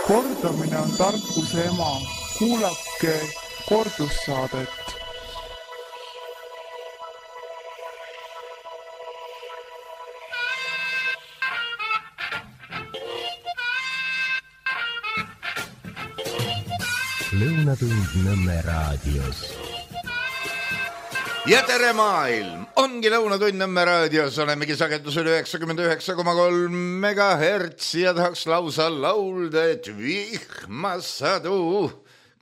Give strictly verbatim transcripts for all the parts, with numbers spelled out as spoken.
Kordamine on tarkuse ema. Kuulake kordussaadet. Lõunatund Nõmme raadios. Ja tere maailm! Ongi Lõunatund Nõmme raadios, olemegi sagedusel üheksakümmend üheksa koma kolm megahertsi ja tahaks lausa laulda, et vihmasadu,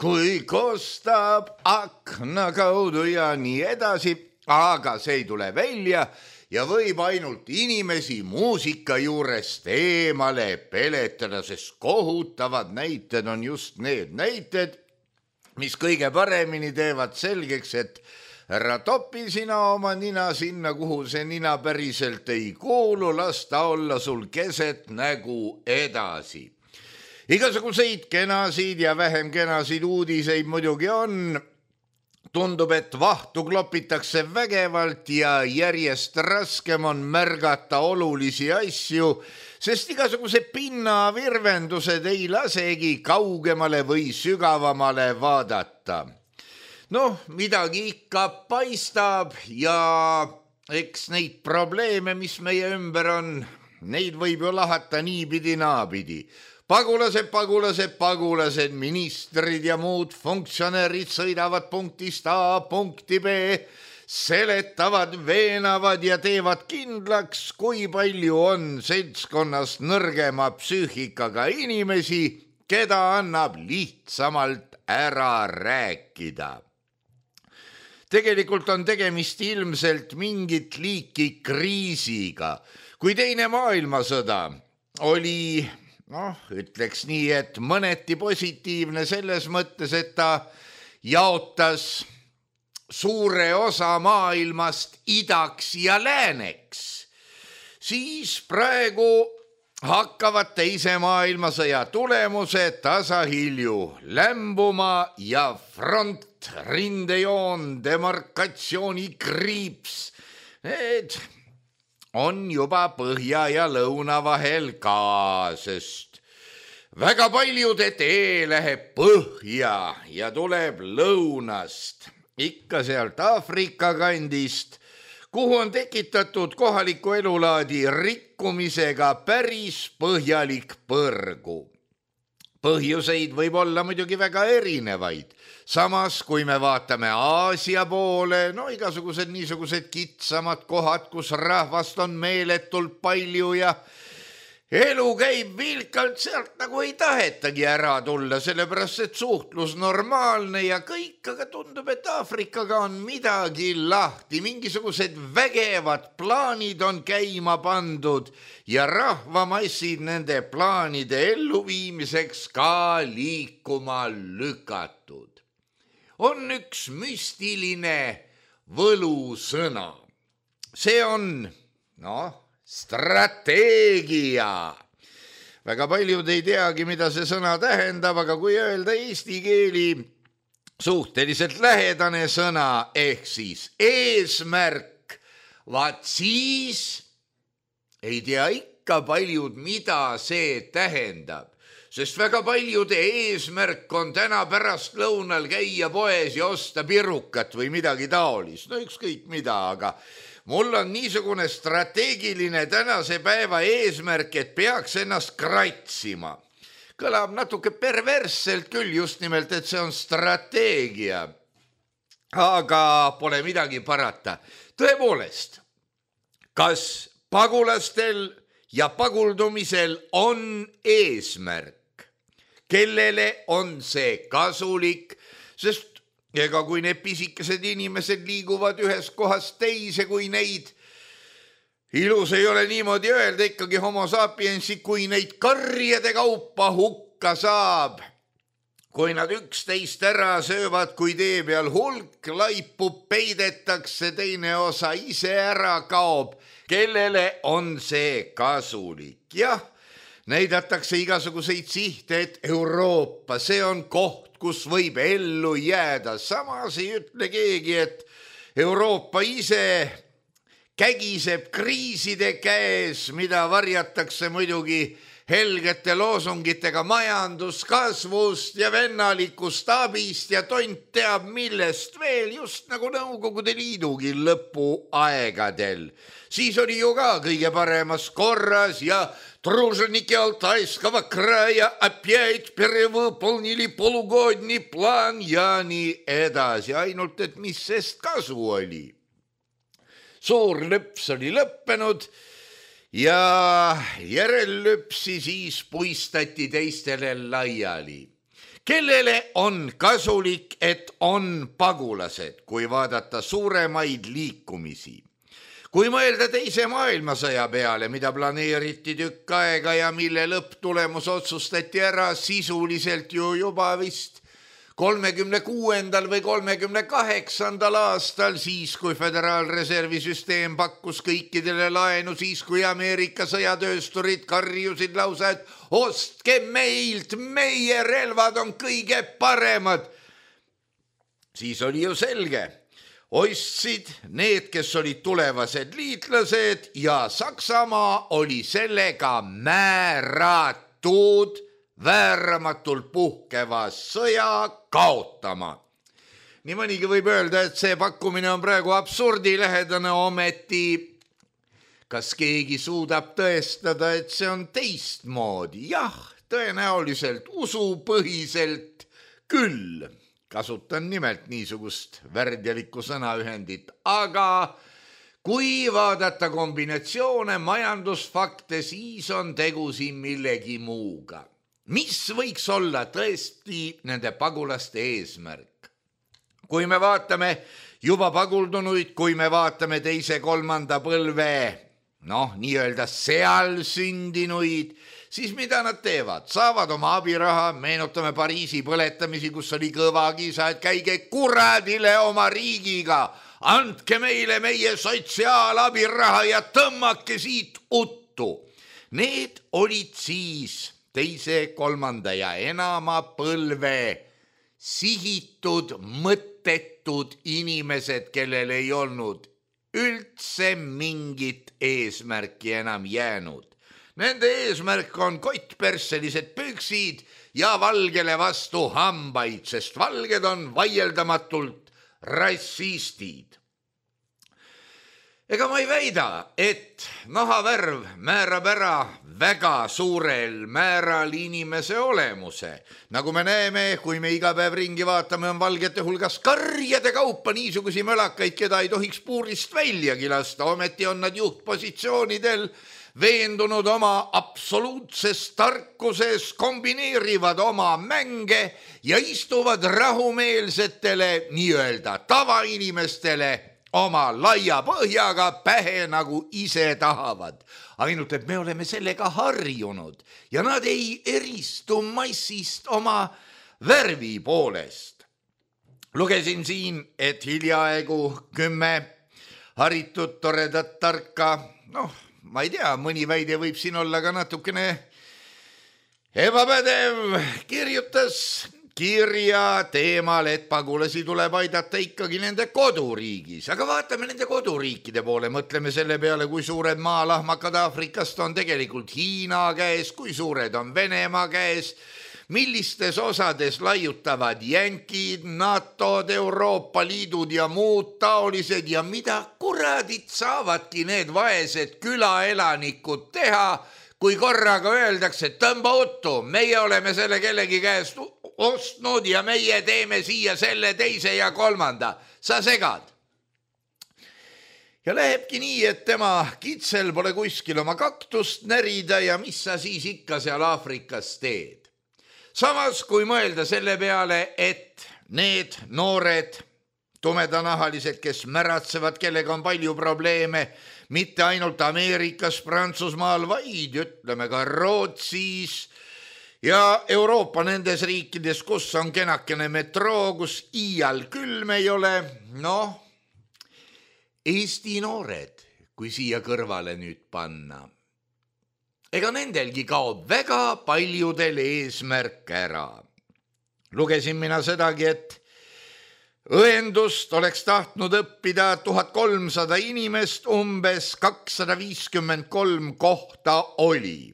kui kostab akna kaudu ja nii edasi, aga see ei tule välja ja võib ainult inimesi muusika juurest eemale peletada, sest kohutavad näited on just need näited, mis kõige paremini teevad selgeks, et ära topi sina oma nina sinna, kuhu see nina päriselt ei kuulu, las ta olla sul keset nägu edasi. Igasuguseid kenasid ja vähem kenasid uudiseid muidugi on. Tundub, et vahtu klopitakse vägevalt ja järjest raskem on märgata olulisi asju, sest igasuguse pinnavirvendused ei lasegi kaugemale või sügavamale vaadata. Noh, midagi ikka paistab ja eks neid probleeme, mis meie ümber on, neid võib ju lahata niipidi naapidi. Pagulased, pagulased, pagulased, ministrid ja muud funktsionäärid sõidavad punktist A punkti B, seletavad, veenavad ja teevad kindlaks, kui palju on seltskonnas nõrgema psüühikaga inimesi, keda annab lihtsamalt ära rääkida. Tegelikult on tegemist ilmselt mingit liiki kriisiga. Kui teine maailmasõda oli, noh, ütleks nii, et mõneti positiivne selles mõttes, et ta jaotas suure osa maailmast idaks ja lääneks, siis praegu hakkavad teise maailmasõja tulemused tasahilju lämbuma ja front, rindejoon, demarkatsiooni kriips, need on juba põhja ja lõuna vahel ka, sest väga paljude tee läheb põhja ja tuleb lõunast, ikka sealt Aafrika kandist, kuhu on tekitatud kohaliku elulaadi rikkumisega päris põhjalik põrgu. Põhjuseid võib olla muidugi väga erinevaid. Samas, kui me vaatame Aasia poole, no igasugused niisugused kitsamad kohad, kus rahvast on meeletult palju ja elu käib vilkalt, sealt nagu ei tahetagi ära tulla, sellepärast et suhtlus normaalne ja kõik, aga tundub, et Aafrikaga on midagi lahti, mingisugused vägevad plaanid on käima pandud ja rahvamassid nende plaanide elluviimiseks ka liikuma lükatud. On üks müstiline võlusõna. See on, noh, strateegia. Väga paljud ei teagi, mida see sõna tähendab, aga kui öelda eesti keeli suhteliselt lähedane sõna ehk siis eesmärk, vaat siis ei tea ikka paljud, mida see tähendab. Sest väga paljude eesmärk on täna pärast lõunal käia poes ja osta pirukat või midagi taolist. No ükskõik mida, aga mul on niisugune strateegiline tänase päeva eesmärk, et peaks ennast kratsima. Kõlab natuke perversselt küll just nimelt, et see on strateegia. Aga pole midagi parata. Tõepoolest, kas pagulastel ja paguldumisel on eesmärk? Kellele on see kasulik? Sest ega kui need pisikesed inimesed liiguvad ühest kohast teise, kui neid, ilus ei ole niimoodi öelda, ikkagi homo sapiensi, kui neid karjade kaupa hukka saab, kui nad üksteist ära söövad, kui tee peal hulk laipub, peidetakse, teine osa ise ära kaob, kellele on see kasulik? Jah, näidatakse igasuguseid sihte, et Euroopa, see on koht, kus võib ellu jääda. Samas ei ütle keegi, et Euroopa ise kägiseb kriiside käes, mida varjatakse muidugi helgete loosungitega majanduskasvust ja vennalikust abist ja tont teab millest veel, just nagu Nõukogude Liidugi lõpuaegadel. Siis oli ju ka kõige paremas korras ja труженики Алтайского края опять перевыполнили полугодний план ja nii edasi, ainult et mis sest kasu oli. Suur lõps oli lõppenud ja järellüpsi siis puistati teistele laiali. Kellele on kasulik, et on pagulased, kui vaadata suuremaid liikumisi? Kui mõelda teise maailmasõja peale, mida planeeriti tükk aega ja mille lõpptulemus otsustati ära sisuliselt ju juba vist kolmekümne kuuendal või kolmekümne kaheksandal aastal, siis kui Föderaalreservi süsteem pakkus kõikidele laenu, siis kui Ameerika sõjatöösturid karjusid lausa, et ostke meilt, meie relvad on kõige paremad. Siis oli ju selge. Ostsid need, kes olid tulevased liitlased ja Saksamaa oli sellega määratud vääramatult puhkeva sõja kaotama. Nii mõnigi võib öelda, et see pakkumine on praegu absurdilähedane, ometi kas keegi suudab tõestada, et see on teistmoodi? Jah, tõenäoliselt usupõhiselt küll. Kasutan nimelt niisugust värdjalikku sõnaühendit, aga kui vaadata kombinatsioone majandusfakte, siis on tegu siin millegi muuga. Mis võiks olla tõesti nende pagulaste eesmärk? Kui me vaatame juba paguldunuid, kui me vaatame teise kolmanda põlve, noh, nii-öelda seal sündinuid, siis mida nad teevad? Saavad oma abiraha, meenutame Pariisi põletamisi, kus oli kõva kisa, et käige kuradile oma riigiga, andke meile meie sotsiaalabiraha ja tõmmake siit uttu. Need olid siis teise, kolmanda ja enama põlve sihitud, mõttetud inimesed, kellel ei olnud üldse mingit eesmärki enam jäänud. Nende eesmärk on kottpersselised püksid ja valgele vastu hambaid, sest valged on vaieldamatult rassistid. Ega ma ei väida, et nahavärv määrab ära väga suurel määral inimese olemuse. Nagu me näeme, kui me iga päev ringi vaatame, on valgete hulgas karjade kaupa niisugusi mölakaid, keda ei tohiks puurist väljagi lasta. Ometi on nad juhtpositsioonidel veendunud oma absoluutses tarkuses, kombineerivad oma mänge ja istuvad rahumeelsetele nii-öelda tavainimestele oma laia põhjaga pähe nagu ise tahavad. Ainult, et me oleme sellega harjunud ja nad ei eristu massist oma värvi poolest. Lugesin siin, et hiljaaegu kümme haritud toredat tarka, noh, ma ei tea, mõni väide võib siin olla ka natukene ebapädev, kirjutas kirja teemal, et pagulasi tuleb aidata ikkagi nende koduriigis. Aga vaatame nende koduriikide poole, mõtleme selle peale, kui suured maalahmakad Aafrikast on tegelikult Hiina käes, kui suured on Venemaa käes, millistes osades laiutavad jänkid, NATO-d, Euroopa Liidud ja muud taolised ja mida kuradit saavadki need vaesed külaelanikud teha, kui korraga öeldakse, et tõmba uttu, meie oleme selle kellegi käest ostnud ja meie teeme siia selle teise ja kolmanda. Sa segad. Ja lähebki nii, et tema kitsel pole kuskil oma kaktust närida ja mis sa siis ikka seal Aafrikas teed. Samas, kui mõelda selle peale, et need noored tumedanahalised, kes märatsevad, kellega on palju probleeme, mitte ainult Ameerikas, Prantsusmaal, vaid ütleme ka Rootsis ja Euroopa nendes riikides, kus on kenakene metroo, kus iial külm ei ole, noh, Eesti noored, kui siia kõrvale nüüd panna. Ega nendelgi kaob väga paljudel eesmärk ära. Lugesin mina sedagi, et õendust oleks tahtnud õppida tuhat kolmsada inimest, umbes kakssada viiskümmend kolm kohta oli.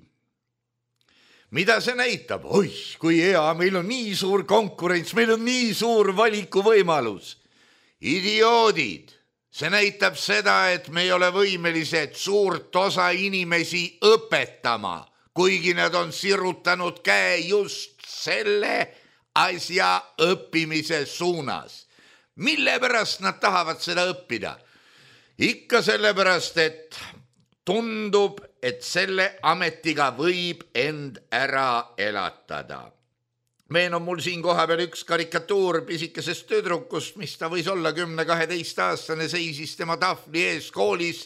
Mida see näitab? Oih, kui hea, meil on nii suur konkurents, meil on nii suur valikuvõimalus. Idioodid, see näitab seda, et me ei ole võimelised suurt osa inimesi õpetama, kuigi nad on sirutanud käe just selle asja õppimise suunas. Mille pärast nad tahavad seda õppida? Ikka sellepärast, et tundub, et selle ametiga võib end ära elatada. Meen on mul siin koha peal üks karikatuur pisikesest tüdrukust, mis ta võis olla kümne kaheteist aastane, seisis tema tahvli ees koolis.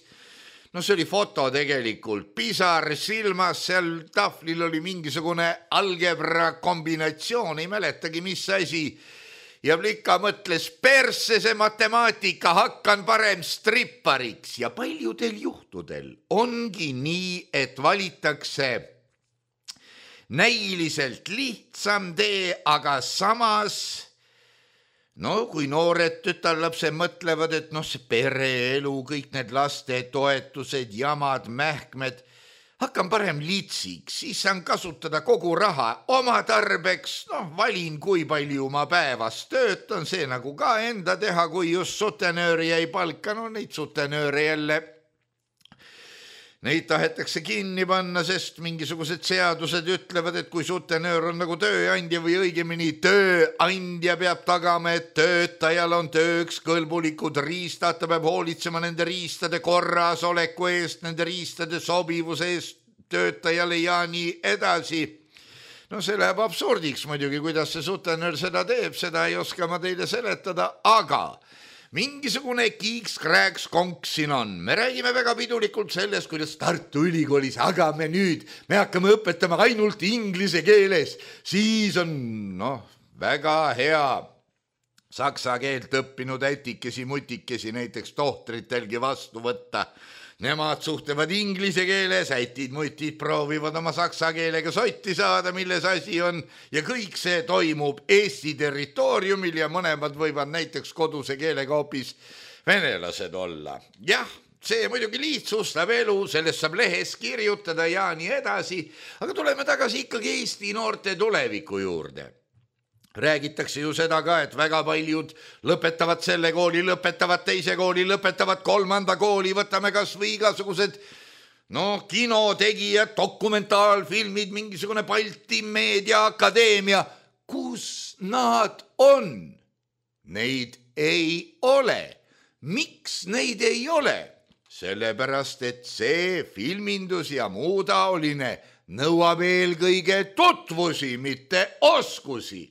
No see oli foto tegelikult, pisar silmas, seal tahvlil oli mingisugune algebra kombinatsioon, ei mäletagi mis asi. Ja Plika mõtles, persse see matemaatika, hakkan parem strippariks. Ja paljudel juhtudel ongi nii, et valitakse näiliselt lihtsam tee, aga samas, no kui noored tütarlapsed mõtlevad, et noh, see pereelu, kõik need laste toetused, jamad, mähkmed, hakkan parem litsiks, siis saan kasutada kogu raha oma tarbeks, noh, valin, kui palju ma päevas töötan, see nagu ka enda teha, kui just sutenööri ei palka, no neid sutenööre jälle, neid tahetakse kinni panna, sest mingisugused seadused ütlevad, et kui sutenöör on nagu tööandja või õigemini tööandja peab tagama, et töötajal on tööks kõlbulikud riistad, ta peab hoolitsema nende riistade korrasoleku eest, nende riistade sobivuse eest töötajale ja nii edasi. No see läheb absurdiks muidugi, kuidas see sutenöör seda teeb, seda ei oska ma teile seletada, aga mingisugune kiiks-krääks konks siin on. Me räägime väga pidulikult sellest, kuidas Tartu Ülikoolis, aga me nüüd, me hakkame õpetama ainult inglise keeles. Siis on, noh, väga hea saksa keelt õppinud ätikesi, mutikesi näiteks tohtritelgi vastu võtta. Nemad suhtlevad inglise keeles, ätid, mutid proovivad oma saksa keelega sotti saada, milles asi on, ja kõik see toimub Eesti territooriumil ja mõlemad võivad näiteks koduse keelega hoopis venelased olla. Jah, see muidugi lihtsustab elu, sellest saab lehes kirjutada ja nii edasi, aga tuleme tagasi ikkagi Eesti noorte tuleviku juurde. Räägitakse ju seda ka, et väga paljud lõpetavad selle kooli, lõpetavad teise kooli, lõpetavad kolmanda kooli, võtame kas või igasugused no, kinotegijad, dokumentaalfilmid, mingisugune Balti meediaakadeemia. Kus nad on? Neid ei ole. Miks neid ei ole? Sellepärast, et see filmindus ja muu taoline nõuab eelkõige tutvusi, mitte oskusi.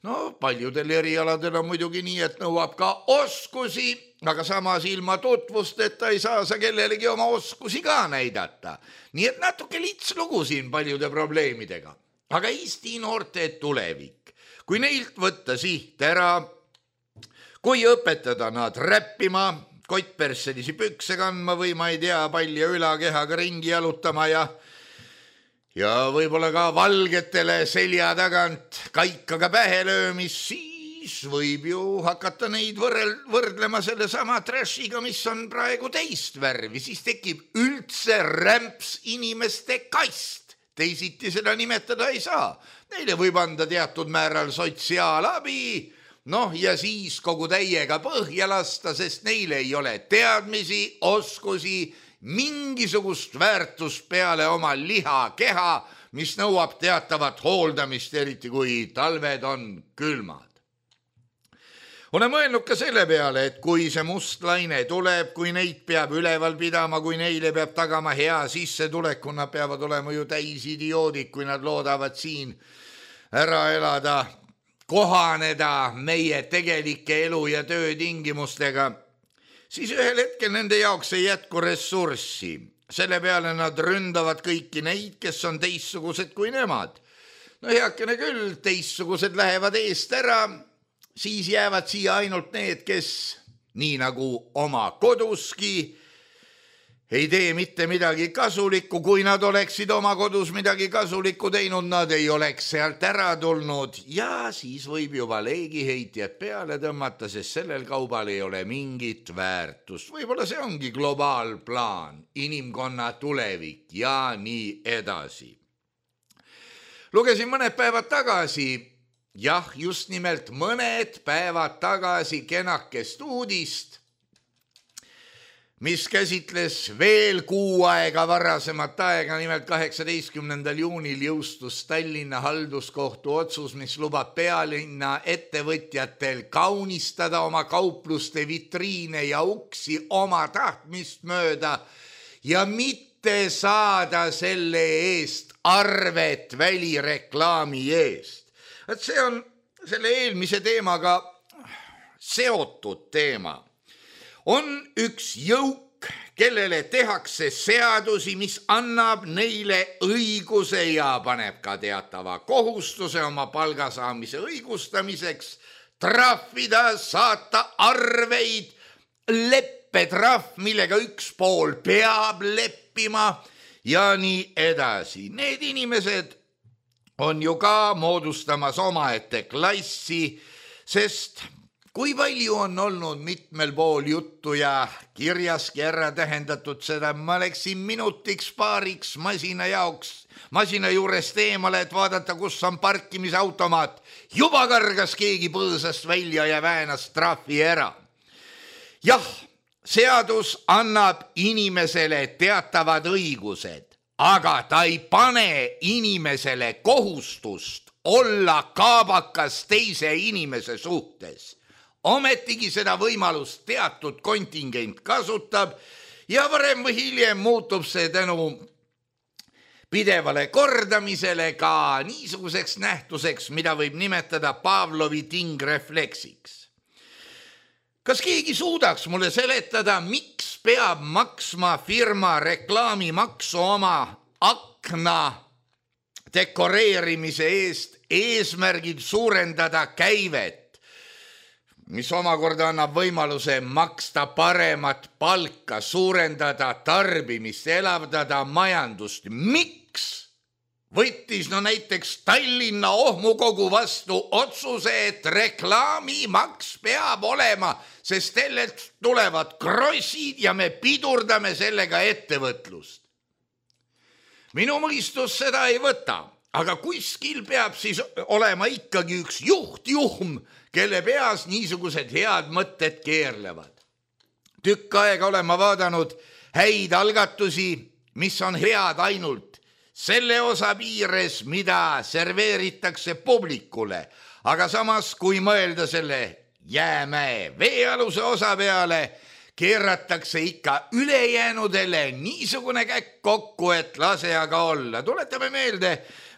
No paljudel erialadel on muidugi nii, et nõuab ka oskusi, aga samas ilma tutvusteta ei saa sa kellelegi oma oskusi ka näidata. Nii et natuke lits lugu siin paljude probleemidega. Aga Eesti noorte tulevik, kui neilt võtta siht ära, kui õpetada nad räppima, kottperselisi pükse kandma või ma ei tea, palja ülakehaga ringi jalutama ja Ja võib-olla ka valgetele selja tagant kaikaga pähe löömis, siis võib ju hakata neid võrrel, võrdlema selle sama trashiga, mis on praegu teist värvi. Siis tekib üldse rämps inimeste kast. Teisiti seda nimetada ei saa. Neile võib anda teatud määral sotsiaalabi, noh ja siis kogu täiega põhja lasta, sest neile ei ole teadmisi, oskusi, mingisugust väärtust peale oma liha keha, mis nõuab teatavat hooldamist, eriti kui talved on külmad. Olen mõelnud ka selle peale, et kui see must laine tuleb, kui neid peab üleval pidama, kui neile peab tagama hea sissetuleku, nad peavad olema ju täis idioodid, kui nad loodavad siin ära elada, kohaneda meie tegelike elu ja töötingimustega, siis ühel hetkel nende jaoks ei jätku ressurssi. Selle peale nad ründavad kõiki neid, kes on teistsugused kui nemad. No heakene küll, teistsugused lähevad eest ära, siis jäävad siia ainult need, kes nii nagu oma koduski ei tee mitte midagi kasulikku, kui nad oleksid oma kodus midagi kasulikku teinud, nad ei oleks sealt ära tulnud ja siis võib juba leegiheitjad peale tõmmata, sest sellel kaubal ei ole mingit väärtust. Võib-olla see ongi globaalplaan, inimkonna tulevik ja nii edasi. Lugesin mõned päevad tagasi, jah, just nimelt mõned päevad tagasi kenakest uudist, mis käsitles veel kuu aega varasemat aega, nimelt kaheksateistkümnendal juunil jõustus Tallinna halduskohtu otsus, mis lubab pealinna ettevõtjatel kaunistada oma kaupluste vitriine ja uksi oma tahtmist mööda ja mitte saada selle eest arvet välireklaami eest. Et see on selle eelmise teemaga seotud teema. On üks jõuk, kellele tehakse seadusi, mis annab neile õiguse ja paneb ka teatava kohustuse oma palgasaamise õigustamiseks, trahvida, saata arveid, leppetrahv, millega üks pool peab leppima ja nii edasi. Need inimesed on ju ka moodustamas omaette klassi, sest kui palju on olnud mitmel pool juttu ja kirjaski ära tähendatud seda, ma läksin minutiks paariks masina jaoks, masina juurest eemale, et vaadata, kus on parkimisautomaat. Juba kargas keegi põõsast välja ja väänas trahvi ära. Jah, seadus annab inimesele teatavad õigused, aga ta ei pane inimesele kohustust olla kaabakas teise inimese suhtes. Ometigi seda võimalust teatud kontingent kasutab ja varem või hiljem muutub see tänu pidevale kordamisele ka niisuguseks nähtuseks, mida võib nimetada Pavlovi tingrefleksiks. Kas keegi suudaks mulle seletada, miks peab maksma firma reklaamimaksu oma akna dekoreerimise eest eesmärgid suurendada käivet, mis omakorda annab võimaluse maksta paremat palka, suurendada tarbimist, elavdada majandust. Miks võttis no näiteks Tallinna ohmukogu vastu otsuse, et reklaamimaks peab olema, sest sellelt tulevad krossid ja me pidurdame sellega ettevõtlust? Minu mõistus seda ei võta, aga kuskil peab siis olema ikkagi üks juhtjuhm, kelle peas niisugused head mõtted keerlevad. Tükk aega olen ma vaadanud häid algatusi, mis on head ainult selle osa piires, mida serveeritakse publikule, aga samas, kui mõelda selle jäämäe veealuse osa peale, keeratakse ikka ülejäänudele niisugune käkk kokku, et lase aga olla. Tuletame meelde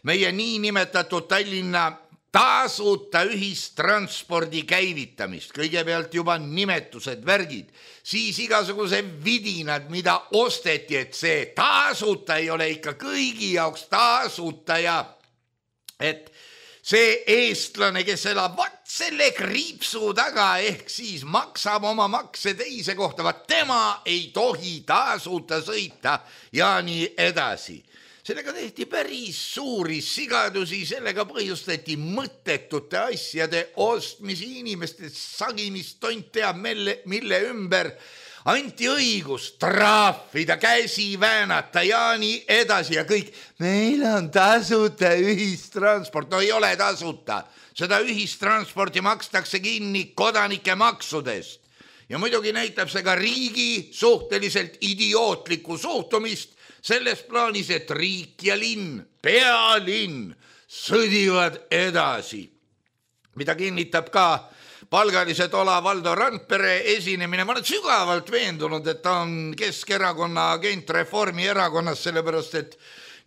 meie niinimetatud Tallinna tasuta ühistranspordi käivitamist, kõigepealt juba nimetused, värgid, siis igasuguse vidinad, mida osteti, et see tasuta ei ole ikka kõigi jaoks tasuta ja et see eestlane, kes elab vat selle kriipsu taga, ehk siis maksab oma makse teise kohta, vat tema ei tohi tasuta sõita ja nii edasi. Sellega tehti päris suuri sigadusi, sellega põhjustati mõttetute asjade ostmisi, inimeste sagimist, tont teab mille, mille ümber, anti õigus trahvida, käsi väänata ja nii edasi ja kõik. Meil on tasuta ühistransport, no ei ole tasuta, seda ühistransporti makstakse kinni kodanike maksudest ja muidugi näitab see ka riigi suhteliselt idiootlikku suhtumist, selles plaanis, et riik ja linn, pealinn sõdivad edasi, mida kinnitab ka palgalised Ola Valdo Randpere esinemine. Ma olen sügavalt veendunud, et ta on Keskerakonna agent Reformierakonnas, sellepärast et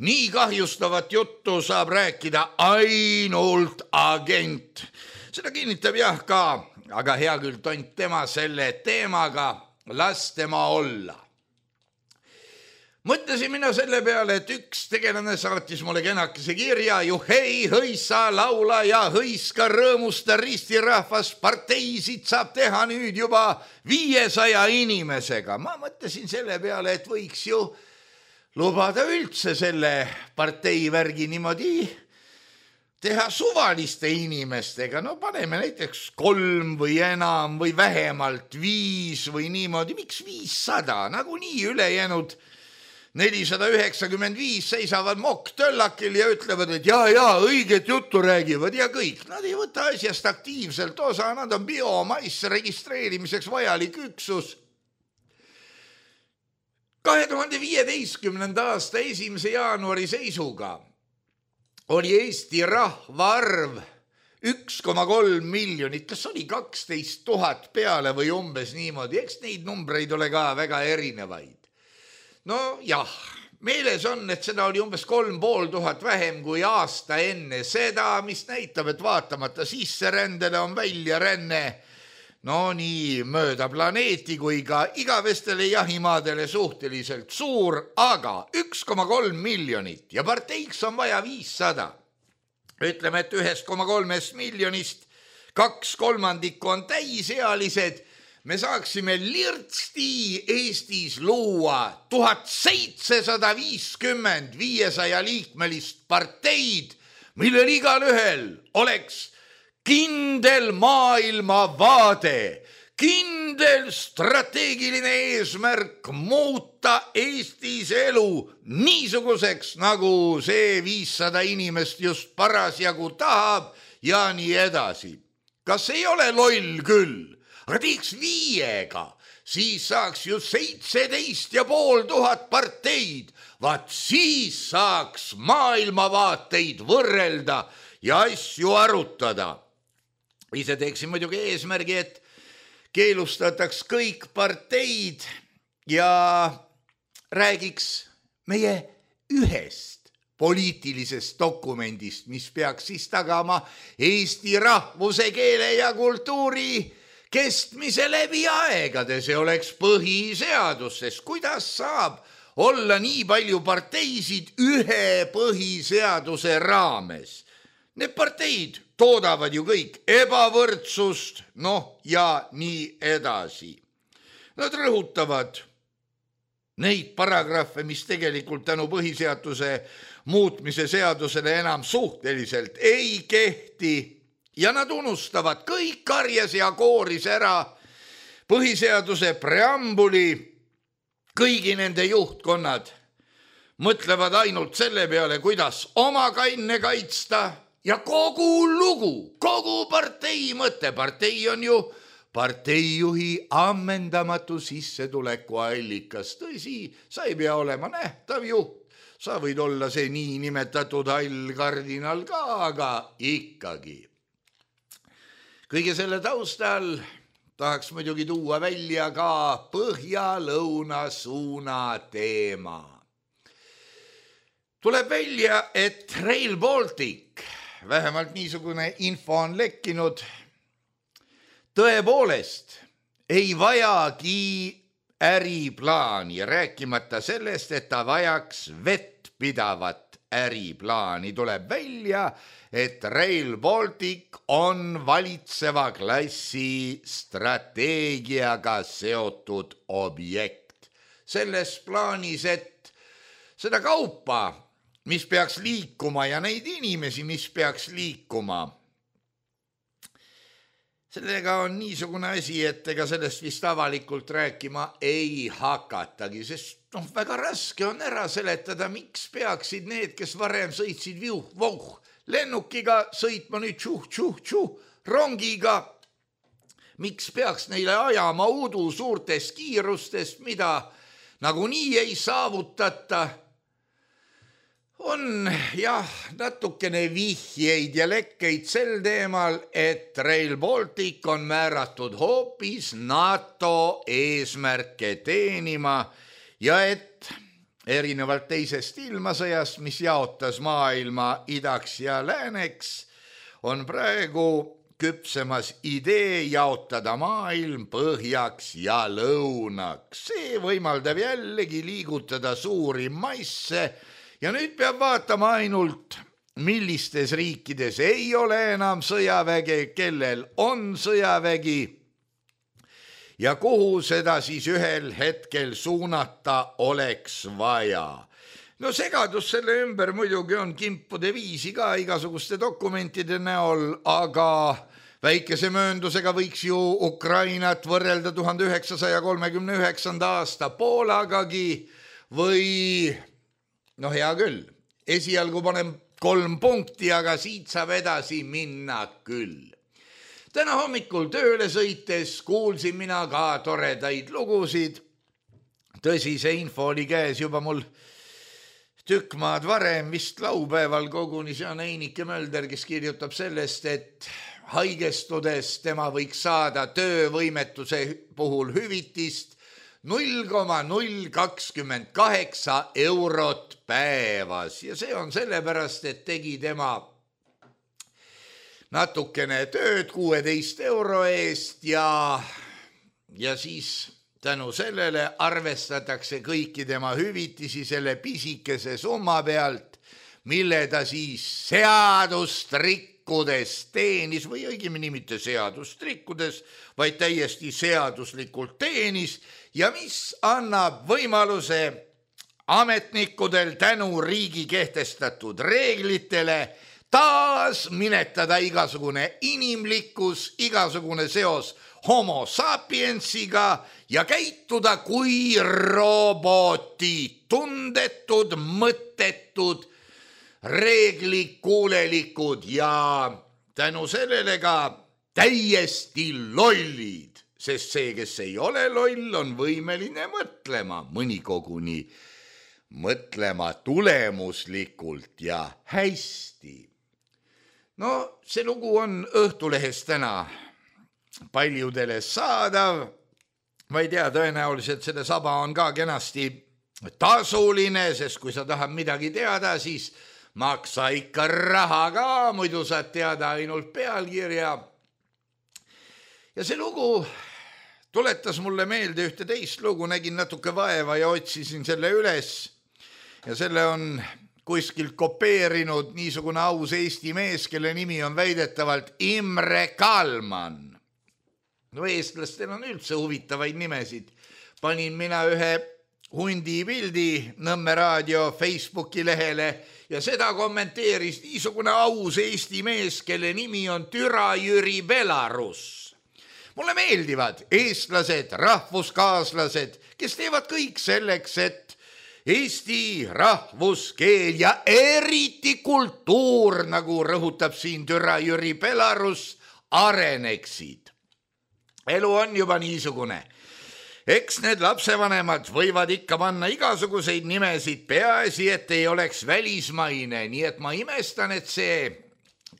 nii kahjustavat juttu saab rääkida ainult agent. Seda kinnitab jah ka, aga hea küll tont tema selle teemaga, las tema olla. Mõtlesin mina selle peale, et üks tegelane saatis mulle kenakese kirja, ju hei, hõissa, laula ja hõiska, rõõmusta ristirahvas, parteisid saab teha nüüd juba viiesaja inimesega. Ma mõtlesin selle peale, et võiks ju lubada üldse selle parteivärgi niimoodi teha suvaliste inimestega. No paneme näiteks kolm või enam või vähemalt viis või niimoodi. Miks viissada? Nagu nii ülejäänud nelisada üheksakümmend viis seisavad mokktöllakil ja ütlevad, et jaa, jaa, õiget juttu räägivad ja kõik. Nad ei võta asjast aktiivselt osa, nad on biomass registreerimiseks vajalik üksus. kahe tuhande viieteistkümnenda aasta esimese jaanuari seisuga oli Eesti rahvaarv üks koma kolm miljonit, kas oli kaksteist tuhat peale või umbes niimoodi, eks neid numbreid ole ka väga erinevaid. No jah, meeles on, et seda oli umbes kolm pool tuhat vähem kui aasta enne seda, mis näitab, et vaatamata sisserändele on väljaränne no nii mööda planeeti kui ka igavestele jahimaadele suhteliselt suur, aga üks koma kolm miljonit ja parteiks on vaja viissada. Ütleme, et ühest koma kolmest miljonist kaks kolmandikku on täisealised. Me saaksime lirtsti Eestis luua tuhat seitsesada viiskümmend viiesaja liikmelist parteid, millel igal ühel oleks kindel maailmavaade, kindel strateegiline eesmärk muuta Eestis elu niisuguseks, nagu see viissada inimest just parasjagu tahab ja nii edasi. Kas ei ole loll küll? Aga teeks viiega, siis saaks ju seitseteist ja pool tuhat parteid. Vaat siis saaks maailmavaateid võrrelda ja asju arutada. Ise teeksin muidugi eesmärgi, et keelustataks kõik parteid ja räägiks meie ühest poliitilisest dokumendist, mis peaks siis tagama Eesti rahvuse, keele ja kultuuri kestmise läbi aegade. See oleks põhiseadus, sest kuidas saab olla nii palju parteisid ühe põhiseaduse raames? Need parteid toodavad ju kõik ebavõrdsust, noh ja nii edasi. Nad rõhutavad neid paragrahve, mis tegelikult tänu põhiseaduse muutmise seadusele enam suhteliselt ei kehti ja nad unustavad kõik karjas ja kooris ära põhiseaduse preambuli. Kõigi nende juhtkonnad mõtlevad ainult selle peale, kuidas oma kanne kaitsta ja kogu lugu, kogu partei mõte. Partei on ju parteijuhi ammendamatu sissetuleku allikas. Tõsi, sa ei pea olema nähtav juht. Sa võid olla see nii nimetatud hall kardinal ka, aga ikkagi. Kõige selle taustal tahaks muidugi tuua välja ka põhja-lõuna suuna teema. Tuleb välja, et Rail Baltic, vähemalt niisugune info on lekkinud, tõepoolest ei vajagi äriplaani, rääkimata sellest, et ta vajaks vettpidavat äriplaani. Tuleb välja, et Rail Baltic on valitseva klassi strateegiaga seotud objekt. Selles plaanis, et seda kaupa, mis peaks liikuma ja neid inimesi, mis peaks liikuma. Sellega on niisugune asi, et ega sellest vist avalikult rääkima ei hakatagi, sest noh, väga raske on ära seletada, miks peaksid need, kes varem sõitsid viuh, voh, lennukiga sõitma nüüd tšuh, tšuh, tšuh, rongiga. Miks peaks neile ajama udu suurtest kiirustest, mida nagunii ei saavutata? On jah, natukene vihjeid ja lekkeid sel teemal, et Rail Baltic on määratud hoopis NATO eesmärke teenima ja et erinevalt teisest ilmasõjast, mis jaotas maailma idaks ja lääneks, on praegu küpsemas idee jaotada maailm põhjaks ja lõunaks. See võimaldab jällegi liigutada suuri masse ja nüüd peab vaatama ainult, millistes riikides ei ole enam sõjaväge, kellel on sõjavägi ja kuhu seda siis ühel hetkel suunata oleks vaja. No segadus selle ümber muidugi on kimpude viisi ka igasuguste dokumentide näol, aga väikese mööndusega võiks ju Ukrainat võrrelda tuhande üheksasaja kolmekümne üheksanda aasta Poolagagi või no hea küll, esialgu panen kolm punkti, aga siit saab edasi minna küll. Täna hommikul tööle sõites kuulsin mina ka toredaid lugusid. Tõsi, see info oli käes juba mul tükk maad varem, vist laupäeval koguni, see on Einike Mölder, kes kirjutab sellest, et haigestudes tema võiks saada töövõimetuse puhul hüvitist null koma null kakskümmend kaheksa eurot päevas ja see on sellepärast, et tegi tema natukene tööd kuueteist euro eest ja, ja siis tänu sellele arvestatakse kõiki tema hüvitisi selle pisikese summa pealt, mille ta siis seadust rikkudes teenis või õigemini mitte seadust rikkudes, vaid täiesti seaduslikult teenis ja mis annab võimaluse ametnikudel tänu riigi kehtestatud reeglitele taas minetada igasugune inimlikkus, igasugune seos homo sapiensiga ja käituda kui roboti, tundetud, mõttetud, reeglikuulelikud ja tänu sellele ka täiesti lollid, sest see, kes ei ole loll, on võimeline mõtlema, mõni koguni mõtlema tulemuslikult ja hästi. No see lugu on Õhtulehes täna paljudele saadav. Ma ei tea, tõenäoliselt selle saba on ka kenasti tasuline, sest kui sa tahad midagi teada, siis maksa ikka raha ka, muidu saad teada ainult pealkirja. Ja see lugu tuletas mulle meelde ühte teist lugu, nägin natuke vaeva ja otsisin selle üles ja selle on kuskilt kopeerinud niisugune aus Eesti mees, kelle nimi on väidetavalt Imre Kalman. No eestlastel on üldse huvitavaid nimesid. Panin mina ühe hundi pildi Nõmme raadio Facebooki lehele ja seda kommenteeris niisugune aus Eesti mees, kelle nimi on Türa Jüri Belarus. Mulle meeldivad eestlased, rahvuskaaslased, kes teevad kõik selleks, et Eesti rahvuskeel ja eriti kultuur, nagu rõhutab siin Türa Jüri Belarus, areneksid. Elu on juba niisugune. Eks need lapsevanemad võivad ikka panna igasuguseid nimesid, peaasi, et ei oleks välismaine, nii et ma imestan, et see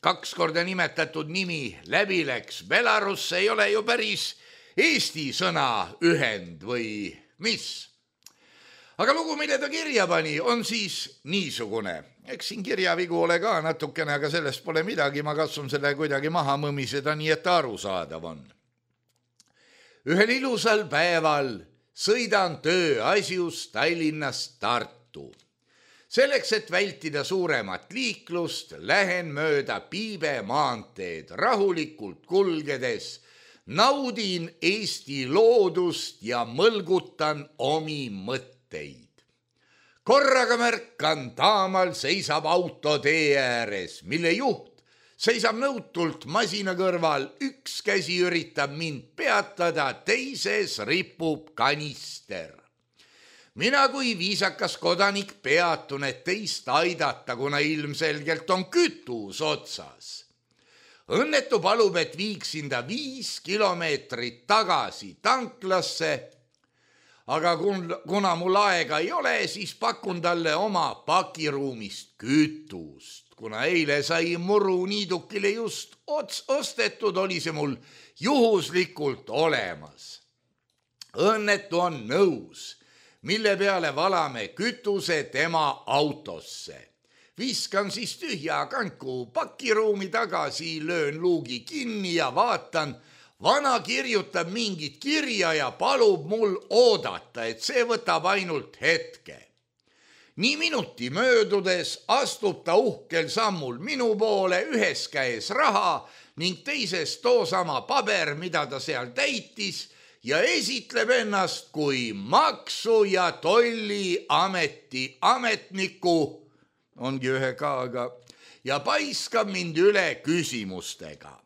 kaks korda nimetatud nimi läbi läks. Belarus ei ole ju päris Eesti sõna ühend või mis? Aga lugu, mille ta kirja pani, on siis niisugune. Eks siin kirjavigu ole ka natukene, aga sellest pole midagi. Ma katsun selle kuidagi maha mõmiseda, nii et aru saadav on. Ühel ilusal päeval sõidan tööasjus Tallinnast Tartu. Selleks, et vältida suuremat liiklust, lähen mööda Piibe maanteed rahulikult kulgedes, naudin Eesti loodust ja mõlgutan omi mõtteid. Korraga märkan, taamal seisab auto tee ääres, mille juht seisab nõutult masina kõrval, üks käsi üritab mind peatada, teises ripub kanister. Mina kui viisakas kodanik peatun, et teist aidata, kuna ilmselgelt on kütus otsas. Õnnetu palub, et viiksin ta viis kilomeetrit tagasi tanklasse, aga kuna mul aega ei ole, siis pakun talle oma pakiruumist kütust. Kuna eile sai muru niidukile just ots ostetud, oli see mul juhuslikult olemas. Õnnetu on nõus, mille peale valame kütuse tema autosse. Viskan siis tühja kanku pakiruumi tagasi, löön luugi kinni ja vaatan, vana kirjutab mingit kirja ja palub mul oodata, et see võtab ainult hetke. Nii minuti möödudes astub ta uhkel sammul minu poole, ühes käes raha ning teises toosama paber, mida ta seal täitis, ja esitleb ennast kui maksu- ja tolliameti ametniku, ongi ühe kaaga, ja paiskab mind üle küsimustega.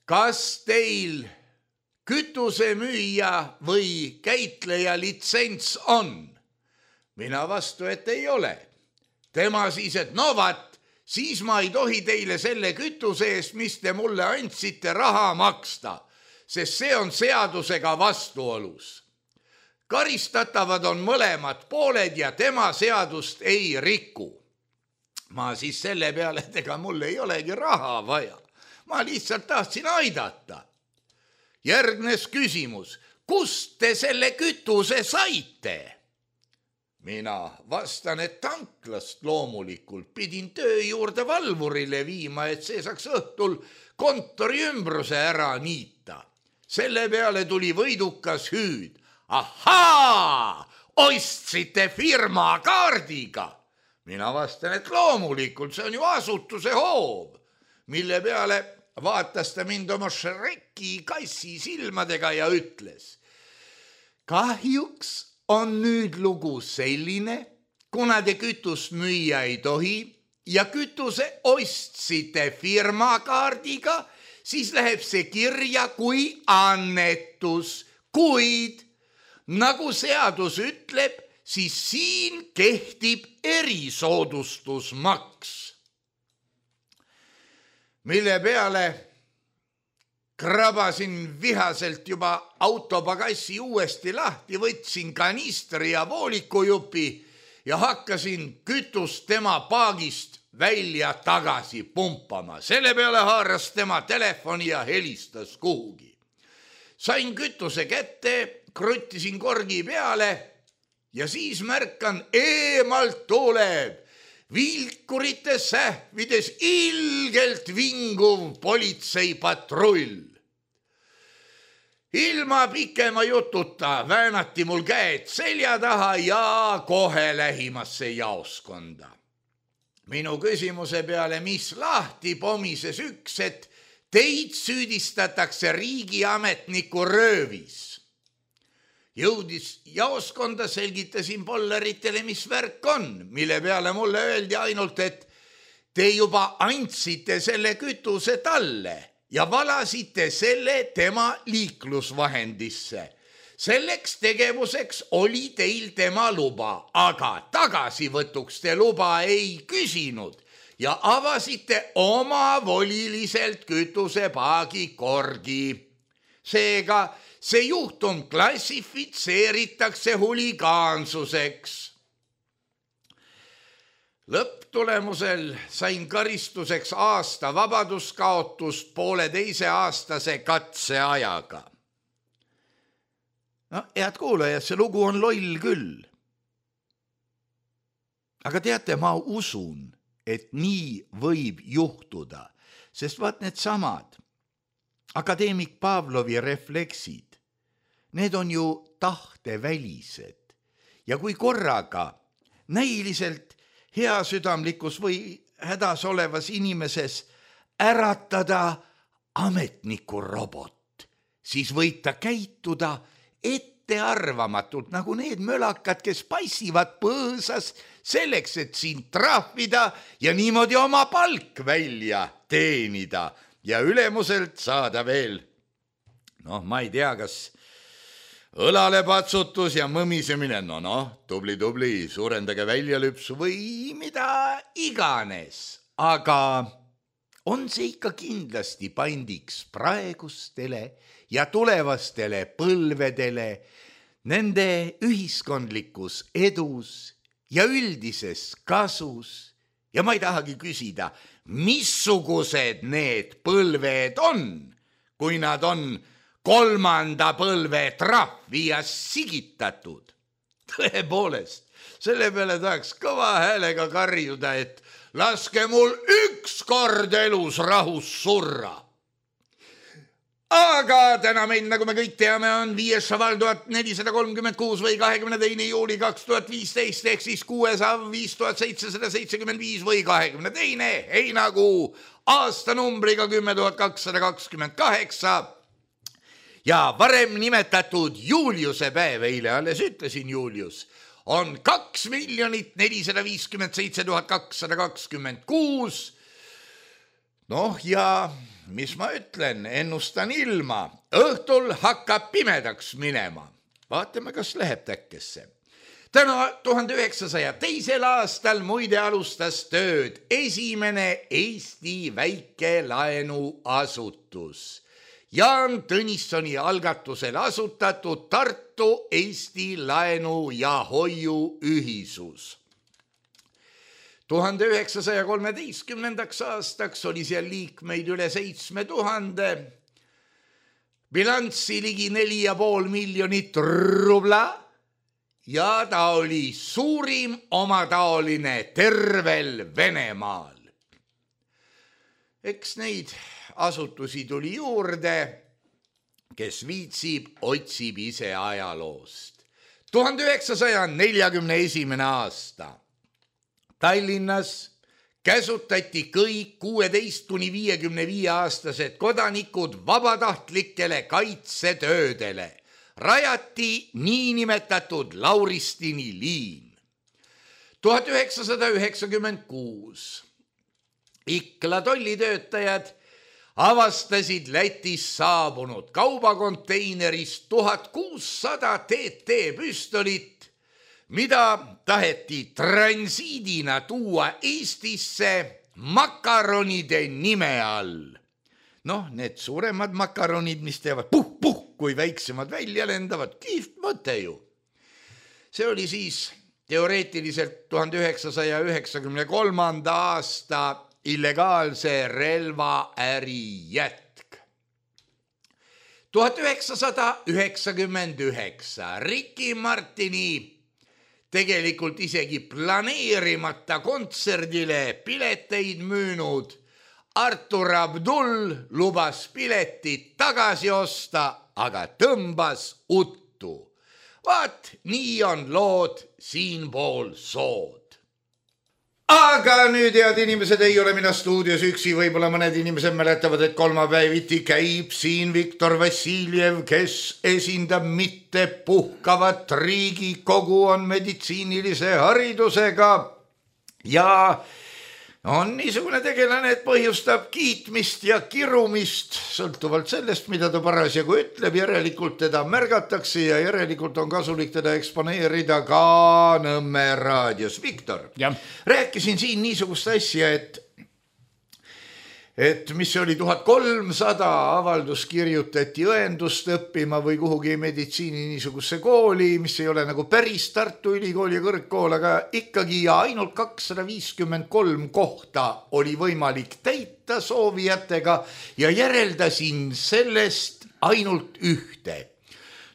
Kas teil kütusemüüja või käitleja litsents on? Mina vastu, et ei ole. Tema siis, et no vat, siis ma ei tohi teile selle kütuse eest, mis te mulle andsite, raha maksta, sest see on seadusega vastuolus. Karistatavad on mõlemad pooled ja tema seadust ei riku. Ma siis selle peale, et ega mul ei olegi raha vaja. Ma lihtsalt tahtsin aidata. Järgnes küsimus, kust te selle kütuse saite? Mina vastan, et tanklast loomulikult pidin töö juurde valvurile viima, et see saaks õhtul kontori ümbruse ära niita. Selle peale tuli võidukas hüüd. Ahaa, ostsite firma kaardiga. Mina vastan, et loomulikult, see on ju asutuse hoov, mille peale vaatas ta mind oma Shreki kassi silmadega ja ütles. Kahjuks on nüüd lugu selline, kuna te kütust müüa ei tohi ja kütuse ostsite firmakaardiga, siis läheb see kirja kui annetus, kuid nagu seadus ütleb, siis siin kehtib erisoodustusmaks. Mille peale krabasin vihaselt juba autopagassi uuesti lahti, võtsin kanistri ja voolikujupi ja hakkasin kütust tema paagist välja tagasi pumpama. Selle peale haaras tema telefoni ja helistas kuhugi. Sain kütuse kätte, kruttisin korgi peale ja siis märkan, eemalt tuleb vilkurite sähvides ilgelt vinguv politseipatrull. Ilma pikema jututa väänati mul käed selja taha ja kohe lähimasse jaoskonda. Minu küsimuse peale, mis lahti pomises üks, et teid süüdistatakse riigiametniku röövis. Jõudis jaoskonda, selgitasin polleritele, mis värk on, mille peale mulle öeldi ainult, et te juba andsite selle kütuse talle ja valasite selle tema liiklusvahendisse. Selleks tegevuseks oli teil tema luba, aga tagasivõtuks te luba ei küsinud ja avasite omavoliliselt kütusepaagi korgi. Seega see juhtum klassifitseeritakse huligaansuseks. Lõpptulemusel sain karistuseks aasta vabaduskaotust pooleteise aastase katseajaga. No, head kuulajad, see lugu on loll küll. Aga teate, ma usun, et nii võib juhtuda, sest vaat need samad akadeemik Pavlovi refleksid, need on ju tahtevälised ja kui korraga näiliselt heasüdamlikus või hädas olevas inimeses äratada ametniku robot, siis võib ta käituda ettearvamatult nagu need mölakad, kes passivad põõsas selleks, et sind trahvida ja niimoodi oma palk välja teenida ja ülemuselt saada veel, noh, ma ei tea, kas õlalepatsutus ja mõmisemine, no noh, tubli, tubli, suurendage väljalüpsu või mida iganes. Aga on see ikka kindlasti pandiks praegustele ja tulevastele põlvedele nende ühiskondlikus edus ja üldises kasus. Ja ma ei tahagi küsida, missugused need põlved on, kui nad on kolmanda põlve trahvi ja sigitatud. Tõepoolest, Selle peale tahaks kõva häälega karjuda, et laske mul üks kord elus rahus surra. Aga täna meil, nagu me kõik teame, on viies šaval tuhat nelisada kolmkümmend kuus või kahekümne teine juuli kaks tuhat viisteist ehk siis kuues av viis tuhat seitsesada seitsekümmend viis või kahekümne teine heinakuu aastanumbriga kümme tuhat kakssada kakskümmend kaheksa ja varem nimetatud Juliuse päev, eile alles ütlesin Julius, on kaks miljonit nelisada viiskümmend seitse tuhat kakssada kakskümmend kuus. Noh ja mis ma ütlen, ennustan ilma, õhtul hakkab pimedaks minema. Vaatame, kas läheb täkkesse. Täna tuhande üheksasaja teisel aastal muide alustas tööd esimene Eesti väikelaenuasutus. Jaan Tõnissoni algatusel asutatud Tartu Eesti laenu ja hoiu ühisus. tuhande üheksasaja kolmeteistkümnendaks aastaks oli seal liikmeid üle seitsme tuhande, bilanssi ligi neli ja pool miljonit rubla ja ta oli suurim omataoline tervel Venemaal. Eks neid asutusi tuli juurde, kes viitsib, otsib ise ajaloost. tuhande üheksasaja neljakümne esimene aasta. Tallinnas käsutati kõik kuueteist kuni viiekümne viie aastased kodanikud vabatahtlikele kaitsetöödele. Rajati niinimetatud Lauristini liin. tuhat üheksasada üheksakümmend kuus. Ikla tollitöötajad avastasid Lätist saabunud kaubakonteinerist tuhat kuussada T T püstolit, mida taheti transiidina tuua Eestisse makaronide nime all. Noh, need suuremad makaronid, mis teevad puh-puh, kui väiksemad välja lendavad, kihvt mõte ju. See oli siis teoreetiliselt tuhande üheksasaja üheksakümne kolmanda aasta illegaalse relvaäri jätk. tuhat üheksasada üheksakümmend üheksa Ricky Martini tegelikult isegi planeerimata kontserdile pileteid müünud Artur Abdul lubas piletit tagasi osta, aga tõmbas uttu. Vaat, nii on lood siinpool sood. Aga nüüd, head inimesed, ei ole mina stuudios üksi, võib-olla mõned inimesed mäletavad, et kolmapäeviti käib siin Viktor Vassiljev, kes esindab mitte puhkavat Riigikogu, on meditsiinilise haridusega ja on niisugune tegelane, et põhjustab kiitmist ja kirumist, sõltuvalt sellest, mida ta parasjagu ütleb, järelikult teda märgatakse ja järelikult on kasulik teda eksponeerida ka Nõmme raadios. Viktor, rääkisin siin niisugust asja, et et mis oli tuhat kolmsada avaldus kirjutati õendust õppima või kuhugi meditsiini niisugusse kooli, mis ei ole nagu päris Tartu Ülikooli kõrgkool, aga ikkagi ja ainult kakssada viiskümmend kolm kohta oli võimalik täita soovijatega ja järeldasin sellest ainult ühte.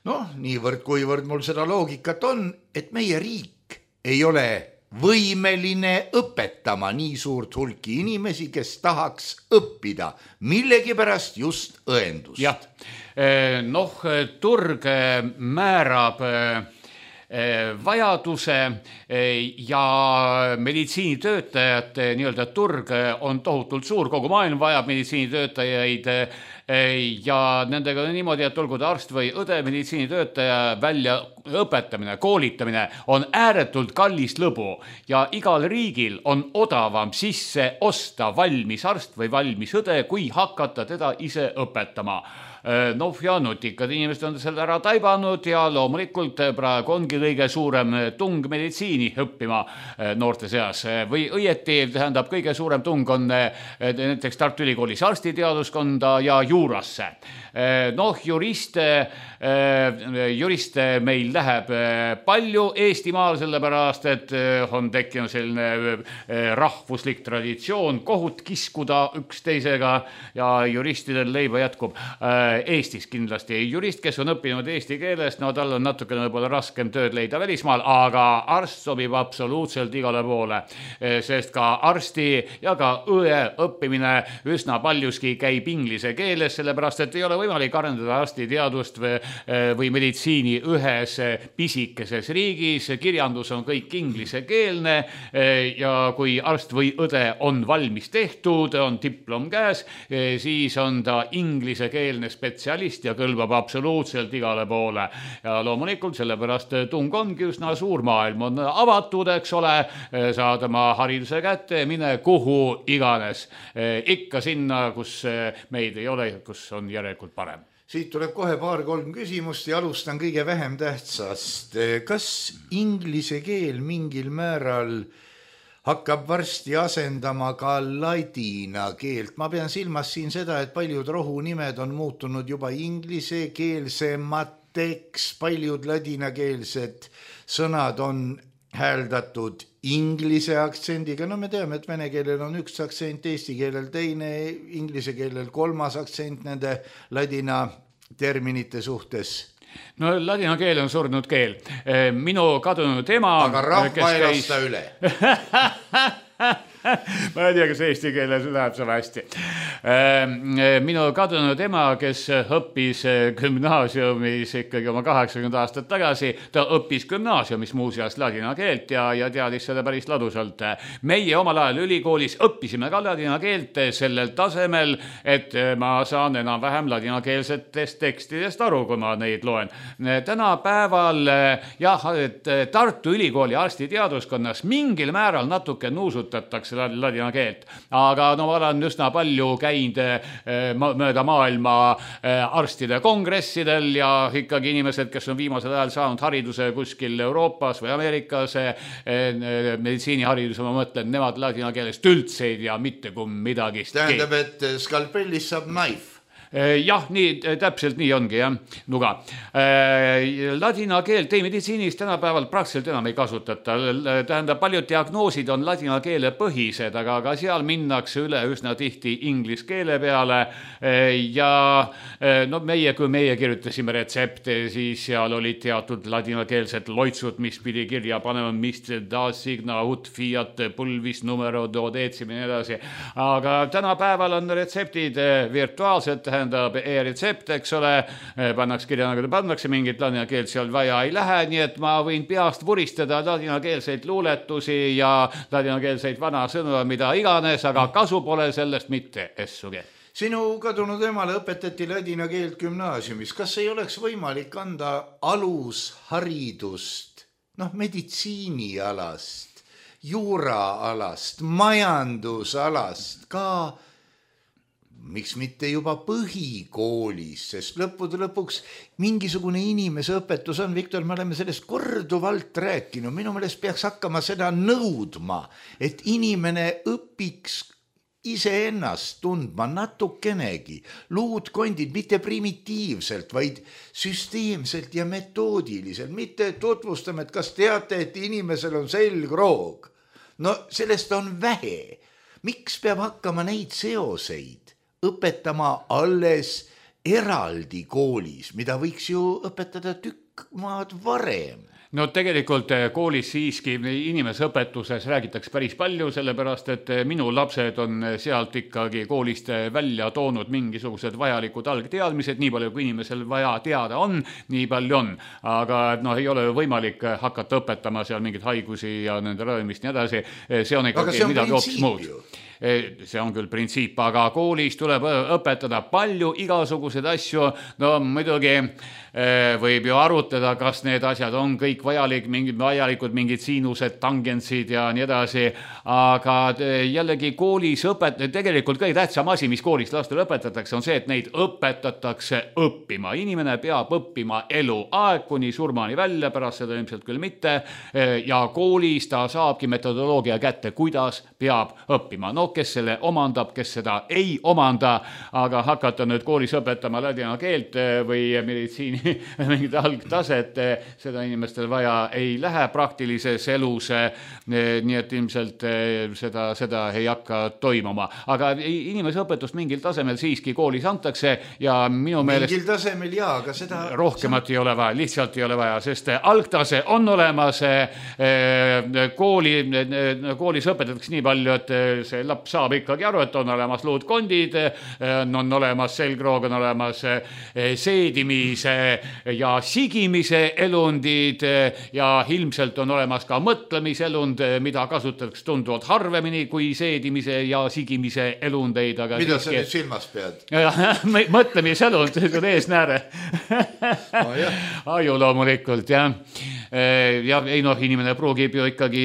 Noh, niivõrd kuivõrd mul seda loogikat on, et meie riik ei ole võimeline õpetama nii suurt hulki inimesi, kes tahaks õppida millegipärast just õendust. Jah, noh, turg määrab vajaduse ja meditsiinitöötajate nii-öelda turg on tohutult suur, kogu maailm vajab meditsiinitöötajaid ja nendega on niimoodi, et olgu ta arst või õde, meditsiinitöötaja välja õpetamine, koolitamine on ääretult kallis lõbu ja igal riigil on odavam sisse osta valmis arst või valmis õde, kui hakata teda ise õpetama. Noh ja nutikad inimesed on selle ära taibanud ja loomulikult praegu ongi kõige suurem tung meditsiini õppima noorte seas või õieti tähendab kõige suurem tung on näiteks Tartu Ülikoolis arstiteaduskonda ja ju juurasse. Noh, juriste, juriste meil läheb palju Eestimaal, sellepärast, et on tekkinud selline rahvuslik traditsioon kohut kiskuda üksteisega ja juristidel leiba jätkub. Eestis kindlasti jurist, kes on õppinud eesti keeles, no tal on natukene võib-olla raskem tööd leida välismaal, aga arst sobib absoluutselt igale poole, sest ka arsti ja ka õe õppimine üsna paljuski käib inglise keeles, sellepärast, et ei ole võimalik arendada arstiteadust või, või meditsiini ühes pisikeses riigis. Kirjandus on kõik inglisekeelne ja kui arst või õde on valmis tehtud, on diplom käes, siis on ta inglisekeelne spetsialist ja kõlbab absoluutselt igale poole. Ja loomulikult sellepärast tung ongi üsna suur, maailm on avatud, eks ole, saad oma hariduse kätte, mine kuhu iganes. Ikka sinna, kus meid ei ole, kus on järelikult parem. Siit tuleb kohe paar-kolm küsimust ja alustan kõige vähem tähtsast. Kas inglise keel mingil määral hakkab varsti asendama ka ladina keelt? Ma pean silmas siin seda, et paljud rohunimed on muutunud juba inglisekeelsemateks, paljud ladinakeelsed sõnad on hääldatud inglise aktsendiga. No me teame, et vene keelel on üks aktsent, eesti keelel teine, inglise keelel kolmas aktsent nende ladina terminite suhtes. No ladina keel on surnud keel. Minu kadunud ema... Aga rahva ei lasta üle. Ma ei tea, kas eesti keeles läheb see hästi. Minu kadunud ema, kes õppis gümnaasiumis ikkagi oma kaheksakümmend aastat tagasi, ta õppis gümnaasiumis muuseas ladina keelt ja, ja teadis seda päris ladusalt. Meie omal ajal ülikoolis õppisime ka ladina keelt sellel tasemel, et ma saan enam vähem ladinakeelsetest tekstidest aru, kui ma neid loen. Tänapäeval jah, et Tartu Ülikooli arstiteaduskonnas mingil määral natuke nuusutatakse ladina keelt. Aga no ma olen üsna palju käinud mööda maailma arstide kongressidel ja ikkagi inimesed, kes on viimasel ajal saanud hariduse kuskil Euroopas või Ameerikas, meditsiinihariduse, ma mõtlen, nemad ladina keelest üldse ei tea mitte kui midagi. Tähendab, et skalpellis saab knife. Jah, nii, täpselt nii ongi, jah, nuga. Ladina keelt ei meditsiinis tänapäeval praktiliselt enam ei kasutata. Tähendab, paljud diagnoosid on ladina keele põhised, aga ka seal minnakse üle üsna tihti inglis keele peale. Ja no meie, kui meie kirjutasime retsepte, siis seal olid teatud ladinakeelsed loitsud, mis pidi kirja panema, mis da signa ut fiat pulvis numero dodeetsimine edasi. Aga tänapäeval on retseptid virtuaalselt, tähendab e-retsept, eks ole, pannaks kirja, nagu ta pannakse, mingit ladina keelt seal vaja ei lähe, nii et ma võin peast vuristada ladinakeelseid luuletusi ja ladinakeelseid vana sõnu, mida iganes, aga kasu pole sellest mitte essugi. Sinu kadunud emale õpetati ladina keelt gümnaasiumis. Kas ei oleks võimalik anda alusharidust, noh, meditsiinialast, juuraalast, majandusalast, ka miks mitte juba põhikoolis, sest lõppude lõpuks mingisugune inimese õpetus on. Viktor, me oleme sellest korduvalt rääkinud. Minu meelest peaks hakkama seda nõudma, et inimene õpiks iseennast tundma natukenegi. Luudkondid mitte primitiivselt, vaid süsteemselt ja metoodiliselt. Mitte tutvustame, et kas teate, et inimesel on selgroog. No sellest on vähe. Miks peab hakkama neid seoseid õpetama alles eraldi koolis, mida võiks ju õpetada tükk maad varem? No tegelikult koolis siiski inimesõpetuses räägitakse päris palju, sellepärast et minu lapsed on sealt ikkagi koolist välja toonud mingisugused vajalikud algteadmised, nii palju kui inimesel vaja teada on, nii palju on. Aga no, ei ole võimalik hakata õpetama seal mingeid haigusi ja nende ravimist nii edasi. See on ikkagi midagi hoopis muud. See on küll printsiip, aga koolis tuleb õpetada palju igasuguseid asju. No muidugi võib ju arutada, kas need asjad on kõik vajalik, mingid vajalikud, mingid siinused, tangentsid ja nii edasi. Aga jällegi koolis õpet-, tegelikult kõige tähtsam asi, mis koolis lastele õpetatakse, on see, et neid õpetatakse õppima. Inimene peab õppima eluaeg kuni surmani välja, pärast seda ilmselt küll mitte. Ja koolis ta saabki metodoloogia kätte, kuidas peab õppima. No kes selle omandab, kes seda ei omanda, aga hakata nüüd koolis õpetama ladina keelt või meditsiini mingit algtaset, seda inimestel vaja ei lähe praktilises elus, nii et ilmselt seda, seda ei hakka toimuma. Aga inimeseõpetust mingil tasemel siiski koolis antakse ja minu meelest mingil tasemel jaa, aga seda rohkemat ei ole vaja, lihtsalt ei ole vaja, sest algtase on olemas, kooli, koolis õpetatakse nii palju, et see laps saab ikkagi aru, et on olemas luudkondid, on olemas selgroog, on olemas seedimise ja sigimise elundid ja ilmselt on olemas ka mõtlemiselund, mida kasutatakse tunduvalt harvemini kui seedimise ja sigimise elundeid. Aga mida sa nüüd silmas pead? Mõtlemiselund, see on eesnääre. Oh, aju loomulikult, jah. Ja ei noh, inimene pruugib ju ikkagi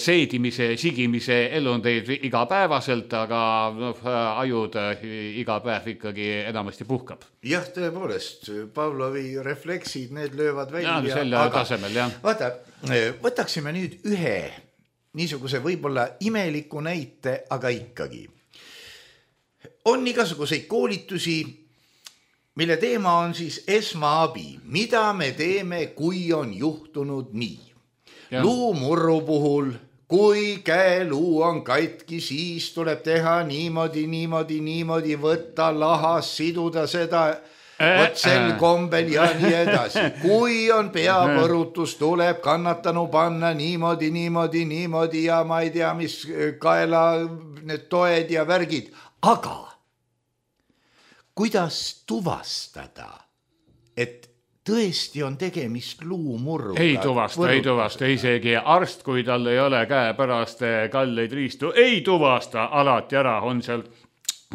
seedimise, sigimise elundeid igapäevaselt, aga noh, ajud iga päev ikkagi enamasti puhkab. Jah, tõepoolest, Pavlovi refleksid, need löövad välja. Ja, selle aga, tasemel, jah. Vaata, võtaksime nüüd ühe niisuguse võib-olla imeliku näite, aga ikkagi. On igasuguseid koolitusi, mille teema on siis esmaabi. Mida me teeme, kui on juhtunud nii? Ja. Luumurru puhul, kui käeluu on katki, siis tuleb teha niimoodi, niimoodi, niimoodi, võtta lahas, siduda seda võt sel kombel ja nii edasi. Kui on peapõrutus, tuleb kannatanu panna niimoodi, niimoodi, niimoodi ja ma ei tea, mis kaela need toed ja värgid. Aga kuidas tuvastada, et tõesti on tegemist luumurruga? Ei tuvasta, ei tuvasta, isegi arst, kui tal ei ole käe pärast kalleid riistu, ei tuvasta alati ära, on seal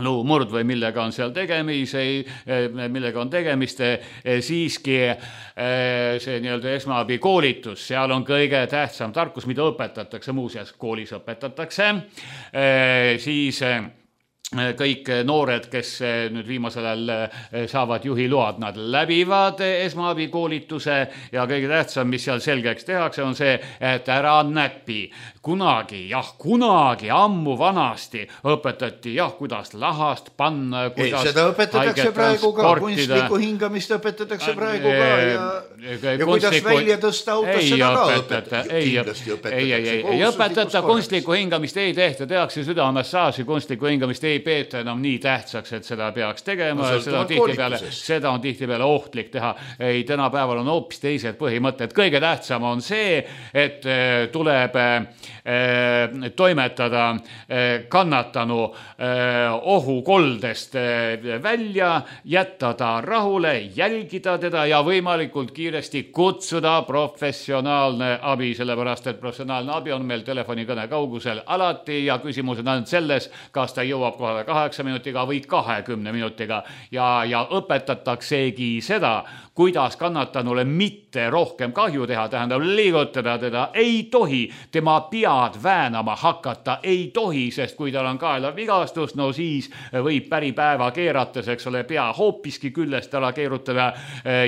luumurd või millega on seal tegemis, millega on tegemist, siiski see nii-öelda esmaabi koolitus, seal on kõige tähtsam tarkus, mida õpetatakse, muuseas koolis õpetatakse, siis kõik noored, kes nüüd viimasel ajal saavad juhiload, nad läbivad esmaabi koolituse ja kõige tähtsam, mis seal selgeks tehakse, on see, et ära näpi. Kunagi, jah, kunagi ammu vanasti õpetati, jah, kuidas lahast panna, kuidas ei, seda õpetatakse praegu ka, kunstlikku hingamist õpetatakse praegu ka ja, ja kuidas välja tõsta autos, seda ka õpetatakse. Ei, ei, ei, ei õpetata, kunstlikku hingamist ei tehta, tehakse südamassaaži, kunstlikku hingamist ei peeta enam nii tähtsaks, et seda peaks tegema, no, seda, on tihtipeale, seda on tihtipeale ohtlik teha. Ei, tänapäeval on hoopis teised põhimõtted. Kõige tähtsam on see, et tuleb toimetada kannatanu ohukoldest välja, jätta ta rahule, jälgida teda ja võimalikult kiiresti kutsuda professionaalne abi, sellepärast et professionaalne abi on meil telefonikõne kaugusel alati ja küsimus on ainult selles, kas ta jõuab kohale kaheksa minutiga või kahekümne minutiga ja, ja õpetataksegi seda, kuidas kannatanule mitte rohkem kahju teha, tähendab liigutada teda ei tohi, tema pead väänama hakata ei tohi, sest kui tal on kaela vigastus, no siis võib päripäeva keerates, eks ole, pea hoopiski küljest ära keerutada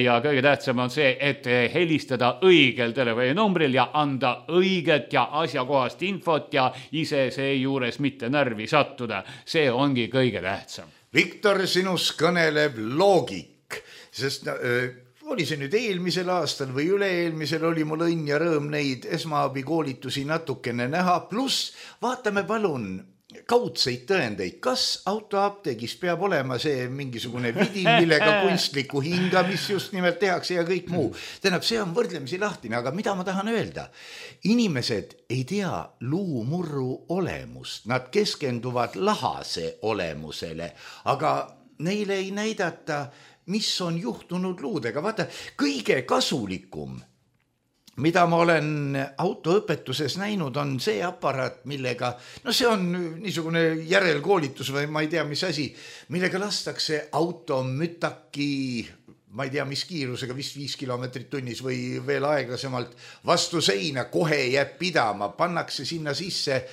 ja kõige tähtsam on see, et helistada õigel telefoninumbril ja anda õiget ja asjakohast infot ja ise seejuures mitte närvi sattuda. See ongi kõige tähtsam. Viktor, sinus kõneleb loogik, sest äh, oli see nüüd eelmisel aastal või üle-eelmisel oli mul õnn ja rõõm neid esmaabi koolitusi natukene näha, pluss vaatame palun kaudseid tõendeid, kas autoapteegis peab olema see mingisugune vidin, millega kunstlikku hingamist just nimelt tehakse ja kõik muu. Tähendab, see on võrdlemisi lahtine, aga mida ma tahan öelda? Inimesed ei tea luumurru olemust, nad keskenduvad lahase olemusele, aga neile ei näidata, mis on juhtunud luudega. Vaata, kõige kasulikum, mida ma olen autoõpetuses näinud, on see aparaat, millega, no see on niisugune järelkoolitus või ma ei tea, mis asi, millega lastakse auto mütaki, ma ei tea, mis kiirusega, vist viis kilomeetrit tunnis või veel aeglasemalt vastu seina, kohe jääb pidama, pannakse sinna sisse,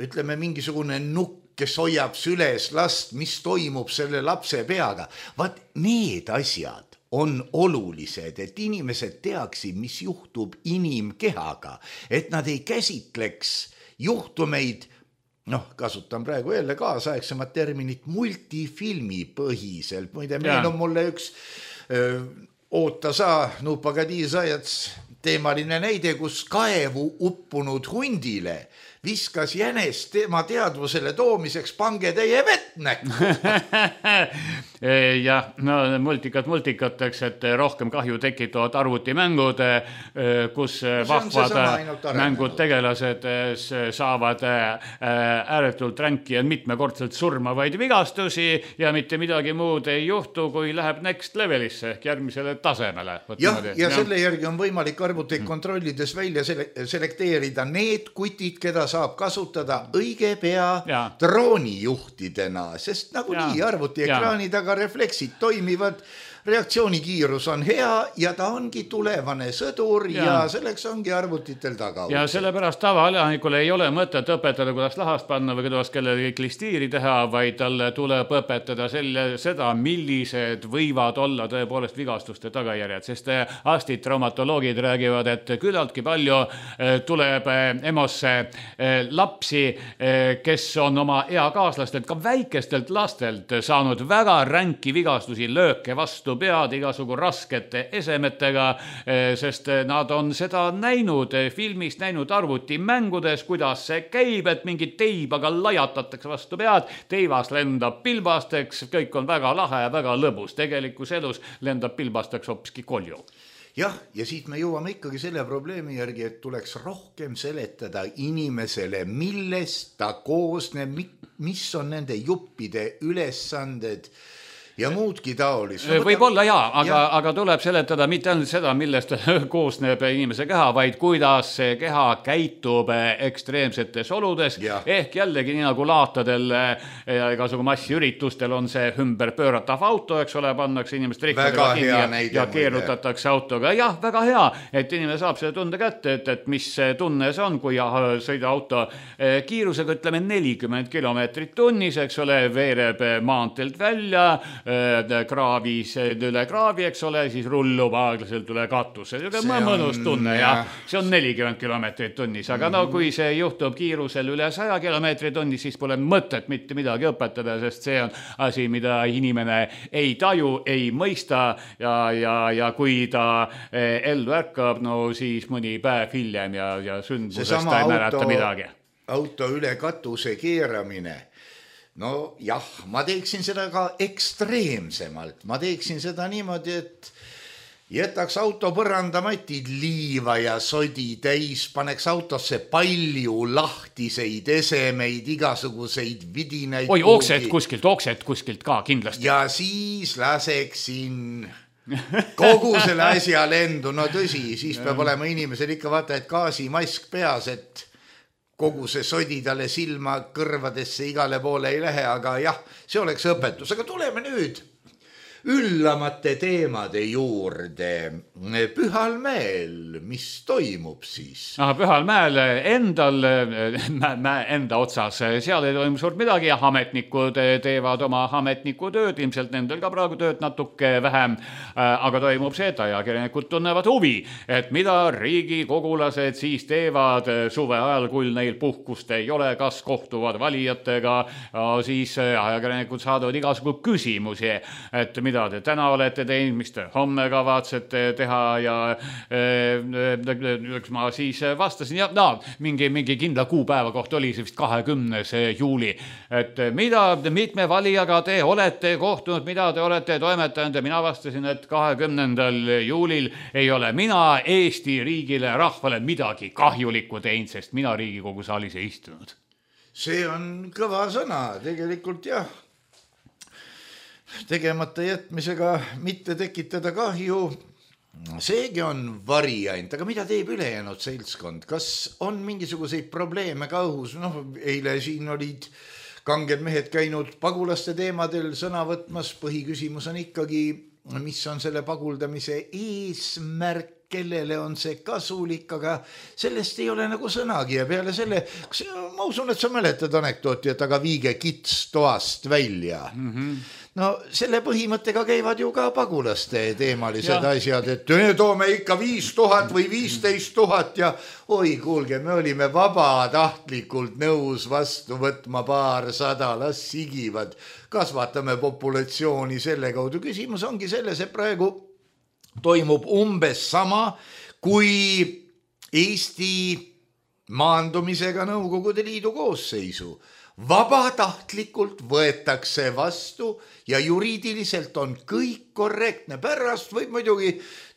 ütleme, mingisugune nukk, kes hoiab süles last, mis toimub selle lapse peaga. Vaat need asjad on olulised, et inimesed teaksid, mis juhtub inimkehaga, et nad ei käsitleks juhtumeid noh, kasutan praegu jälle kaasaegsemat terminit multifilmi põhiselt. Muide, meil on mulle üks öö, oota saa, nupagadi sajats teemaline näide, kus kaevu uppunud hundile viskas jänes tema teadvusele toomiseks pange teie vett näkku. Jah, no multikat multikateks, et rohkem kahju tekitavad arvutimängud, kus vahvad mängud tegelased saavad ääretult ränki ja mitmekordselt surmavaid vigastusi ja mitte midagi muud ei juhtu, kui läheb next levelisse ehk järgmisele tasemele. Jah, ja, ja selle järgi on võimalik arvuteid kontrollides välja selekteerida need kutid, keda saab kasutada õige pea ja. droonijuhtidena, sest nagunii arvutiekraani taga refleksid toimivad, reaktsioonikiirus on hea ja ta ongi tulevane sõdur ja, ja selleks ongi arvutitel taga. Ja sellepärast tavaelanikule ei ole mõtet õpetada, kuidas lahast panna või kuidas kellelegi klistiiri teha, vaid talle tuleb õpetada selle, seda, millised võivad olla tõepoolest vigastuste tagajärjed, sest arstid, traumatoloogid räägivad, et küllaldki palju tuleb EMO-sse lapsi, kes on oma eakaaslastelt, ka väikestelt lastelt saanud väga ränki vigastusi, lööke vastu pead igasugu raskete esemetega, sest nad on seda näinud filmis, näinud arvutimängudes, kuidas see käib, et mingi teibaga lajatatakse vastu pead, teivas lendab pilbasteks, kõik on väga lahe ja väga lõbus. Tegelikus elus lendab pilbasteks hoopiski kolju. Jah, ja siit me jõuame ikkagi selle probleemi järgi, et tuleks rohkem seletada inimesele, millest ta koosneb, mis on nende juppide ülesanded ja muudki taolis. No, võib olla jaa, aga, ja. aga tuleb seletada mitte ainult seda, millest koosneb inimese keha, vaid kuidas see keha käitub ekstreemsetes oludes. Ja. Ehk jällegi nii nagu laatadel ja igasugu massiüritustel on see ümber pööratav auto, eks ole, pannakse inimest rikkodega kinni ja, ja keerutatakse autoga. Jah, väga hea, et inimene saab selle tunde kätte, et, et mis tunne see on, kui sõida auto kiirusega, ütleme nelikümmend kilomeetrit tunnis, eks ole, veereb maanteelt välja, kraavis üle kraavi, eks ole, siis rullub aeglaselt üle katuse. See on mõnus tunne ja see on nelikümmend kilomeetrit tunnis, aga no kui see juhtub kiirusel üle saja kilomeetri tunnis, siis pole mõtet mitte midagi õpetada, sest see on asi, mida inimene ei taju, ei mõista ja, ja, ja kui ta ellu ärkab, no siis mõni päev hiljem ja, ja sündmusest ta ei mäleta midagi. Auto üle katuse keeramine. No jah, ma teeksin seda ka ekstreemsemalt. Ma teeksin seda niimoodi, et jätaks auto põrandamatid liiva ja sodi täis, paneks autosse palju lahtiseid esemeid, igasuguseid vidinaid. Oi, oksed kuskilt, oksed kuskilt ka kindlasti. Ja siis laseksin kogu selle asja lendu. No tõsi, siis peab olema inimesel ikka vaata, et gaasimask peas, et kogu see sodi talle silma kõrvadesse igale poole ei lähe, aga jah, see oleks õpetus. Aga tuleme nüüd üllamate teemade juurde. Pühal mäel, mis toimub siis? Aha, Pühal mäel endal, enda otsas, seal ei toimu suurt midagi ja ametnikud teevad oma ametnikutööd, ilmselt nendel ka praegu tööd natuke vähem, aga toimub seda ja kirjanikud tunnevad huvi, et mida riigikogulased siis teevad suve ajal, kui neil puhkust ei ole, kas kohtuvad valijatega, siis ajakirjanikud saadavad igasugu küsimusi, et mida te täna olete teinud, mis te homme kavatsete teha ja äh, ma siis vastasin ja no, mingi, mingi kindla kuupäeva kohta oli see vist kahekümnes juuli, et mida mitme valijaga te olete kohtunud, mida te olete toimetanud ja mina vastasin, et kahekümnendal juulil ei ole mina Eesti riigile, rahvale midagi kahjulikku teinud, sest mina Riigikogu saalis ei istunud. See on kõva sõna, tegelikult jah. Tegemata jätmisega mitte tekitada kahju, seegi on variant, aga mida teeb ülejäänud seltskond? Kas on mingisuguseid probleeme ka õhus? Noh, eile siin olid kanged mehed käinud pagulaste teemadel sõna võtmas, põhiküsimus on ikkagi, mis on selle paguldamise eesmärk, kellele on see kasulik, aga sellest ei ole nagu sõnagi ja peale selle, ma usun, et sa mäletad anekdooti, et aga viige kits toast välja. Mm-hmm. No selle põhimõttega käivad ju ka pagulaste teemalised ja. asjad, et me toome ikka viis tuhat või viisteist tuhat ja oi kuulge, me olime vabatahtlikult nõus vastu võtma paarsada, las sigivad, kasvatame populatsiooni selle kaudu. Küsimus ongi selles, et praegu toimub umbes sama, kui Eesti maandumisega Nõukogude Liidu koosseisu. Vabatahtlikult võetakse vastu ja juriidiliselt on kõik korrektne. Pärast võib muidugi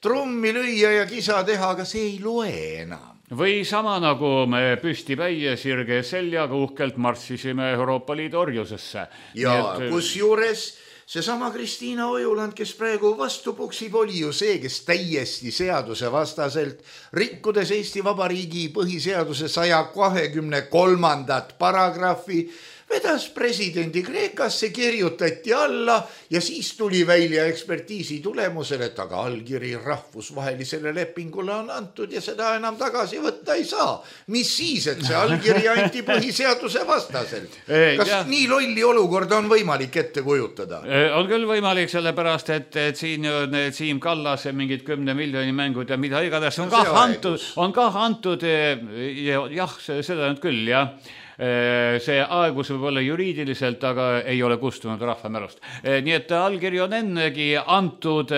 trummi lüüa ja kisa teha, aga see ei loe enam. Või sama nagu me püsti päie sirge seljaga uhkelt marssisime Euroopa Liidu orjusesse. Ja et... kus juures seesama Kristiina Ojuland, kes praegu vastu puksib, oli ju see, kes täiesti seaduse vastaselt, rikkudes Eesti Vabariigi põhiseaduse saja kahekümne kolmandat paragrahvi, vedas presidendi Kreekasse, kirjutati alla ja siis tuli välja ekspertiisi tulemusel, et aga allkiri rahvusvahelisele lepingule on antud ja seda enam tagasi võtta ei saa. Mis siis, et see allkiri anti põhiseaduse vastaselt? Kas ja. nii lolli olukorda on võimalik ette kujutada? On küll võimalik, sellepärast, et, et siin need Siim Kallas mingid kümne miljoni mängud ja mida iganes on, no, ka antud, on ka antud ja, jah, seda nüüd küll, jah. See aegus võib olla juriidiliselt, aga ei ole kustunud rahvamälust. Nii et allkiri on ennegi antud,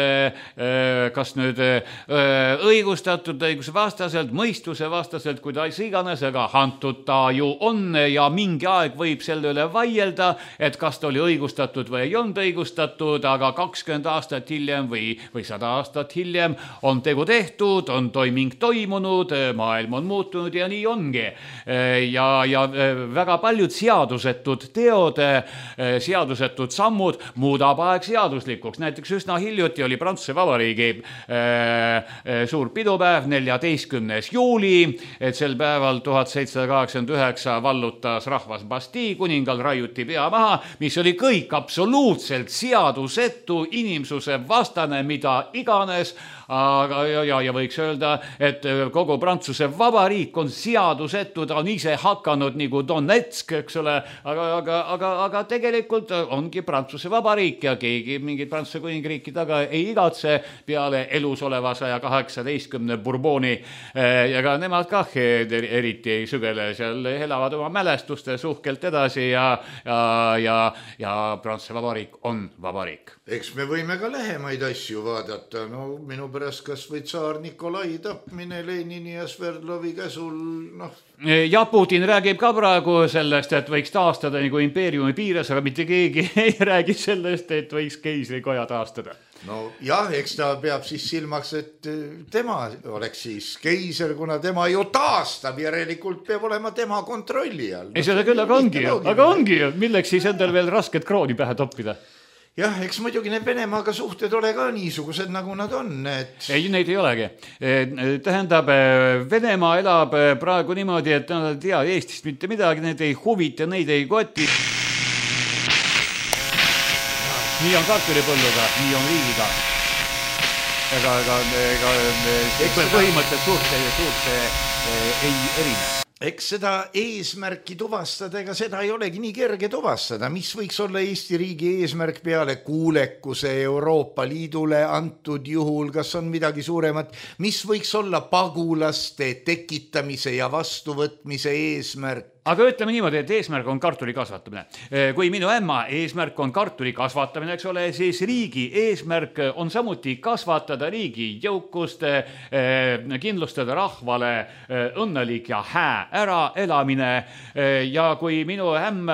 kas nüüd õigustatud, õiguse vastaselt, mõistuse vastaselt, kuidas iganes, aga antud ta ju on ja mingi aeg võib selle üle vaielda, et kas ta oli õigustatud või ei olnud õigustatud, aga kakskümmend aastat hiljem või, või sada aastat hiljem on tegu tehtud, on toiming toimunud, maailm on muutunud ja nii ongi. Ja, ja väga paljud seadusetud teod, seadusetud sammud muudab aeg seaduslikuks. Näiteks üsna hiljuti oli Prantsuse Vabariigi suur pidupäev, neljateistkümnes juuli, et sel päeval tuhat seitsesada kaheksakümmend üheksa vallutas rahvas Bastille, kuningal raiuti pea maha, mis oli kõik absoluutselt seadusetu, inimsuse vastane, mida iganes, aga ja, ja, ja võiks öelda, et kogu Prantsuse Vabariik on seadusetu, ta on ise hakanud nagu Donetsk, eks ole, aga, aga, aga, aga tegelikult ongi Prantsuse Vabariik ja keegi mingid Prantsuse kuningriiki taga ei igatse peale elus oleva saja kaheksateistkümne Bourboni ja ka nemad kah eriti ei sügele, seal elavad oma mälestuste suhkelt edasi ja, ja, ja, ja Prantsuse Vabariik on vabariik. Eks me võime ka lähemaid asju vaadata, no minu pärast kas või tsaar Nikolai tapmine Lenini ja Sverdlovi käsul, noh. Ja Putin räägib ka praegu sellest, et võiks taastada nagu impeeriumi piires, aga mitte keegi ei räägi sellest, et võiks keisrikoja taastada. No jah, eks ta peab siis silmaks, et tema oleks siis keiser, kuna tema ju taastab, järelikult peab olema tema kontrolli all. Ei, seda küll, aga ongi ju, aga ongi ju, milleks siis endal veel rasket krooni pähe toppida? Jah, eks muidugi need Venemaaga suhted ole ka niisugused, nagu nad on. Et... ei, neid ei olegi. Tähendab, Venemaa elab praegu niimoodi, et nad ei tea Eestist mitte midagi, need ei huvita, neid ei koti. Nii on kartulipõlluga, nii on riigiga. Ega, ega, ega, ega põhimõtted suurte, suurte ei erine. Eks seda eesmärki tuvastada, ega seda ei olegi nii kerge tuvastada. Mis võiks olla Eesti riigi eesmärk peale kuulekuse Euroopa Liidule antud juhul, kas on midagi suuremat? Mis võiks olla pagulaste tekitamise ja vastuvõtmise eesmärk? Aga ütleme niimoodi, et eesmärk on kartuli kasvatamine. Kui minu ämma eesmärk on kartuli kasvatamine, eks ole, siis riigi eesmärk on samuti kasvatada riigi jõukust, kindlustada rahvale õnnelik ja hää ära elamine. Ja kui minu ämm,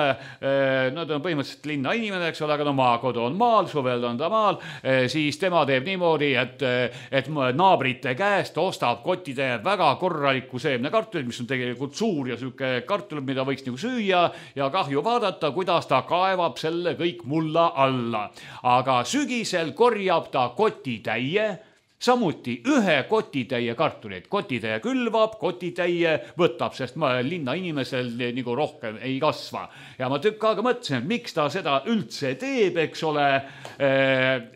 no ta on põhimõtteliselt linna inimene, eks ole, aga no maakodu on maal, suvel on ta maal, siis tema teeb niimoodi, et, et naabrite käest ostab kottide väga korraliku seemne kartulit, mis on tegelikult suur ja süuke kartul, mida võiks nagu süüa ja kahju vaadata, kuidas ta kaevab selle kõik mulla alla. Aga sügisel korjab ta koti täie samuti ühe kotitäie kartuleid. Kotitäie külvab, kotitäie võtab, sest ma linna inimesel nagu rohkem ei kasva. Ja ma tükk aega mõtlesin, et miks ta seda üldse teeb, eks ole.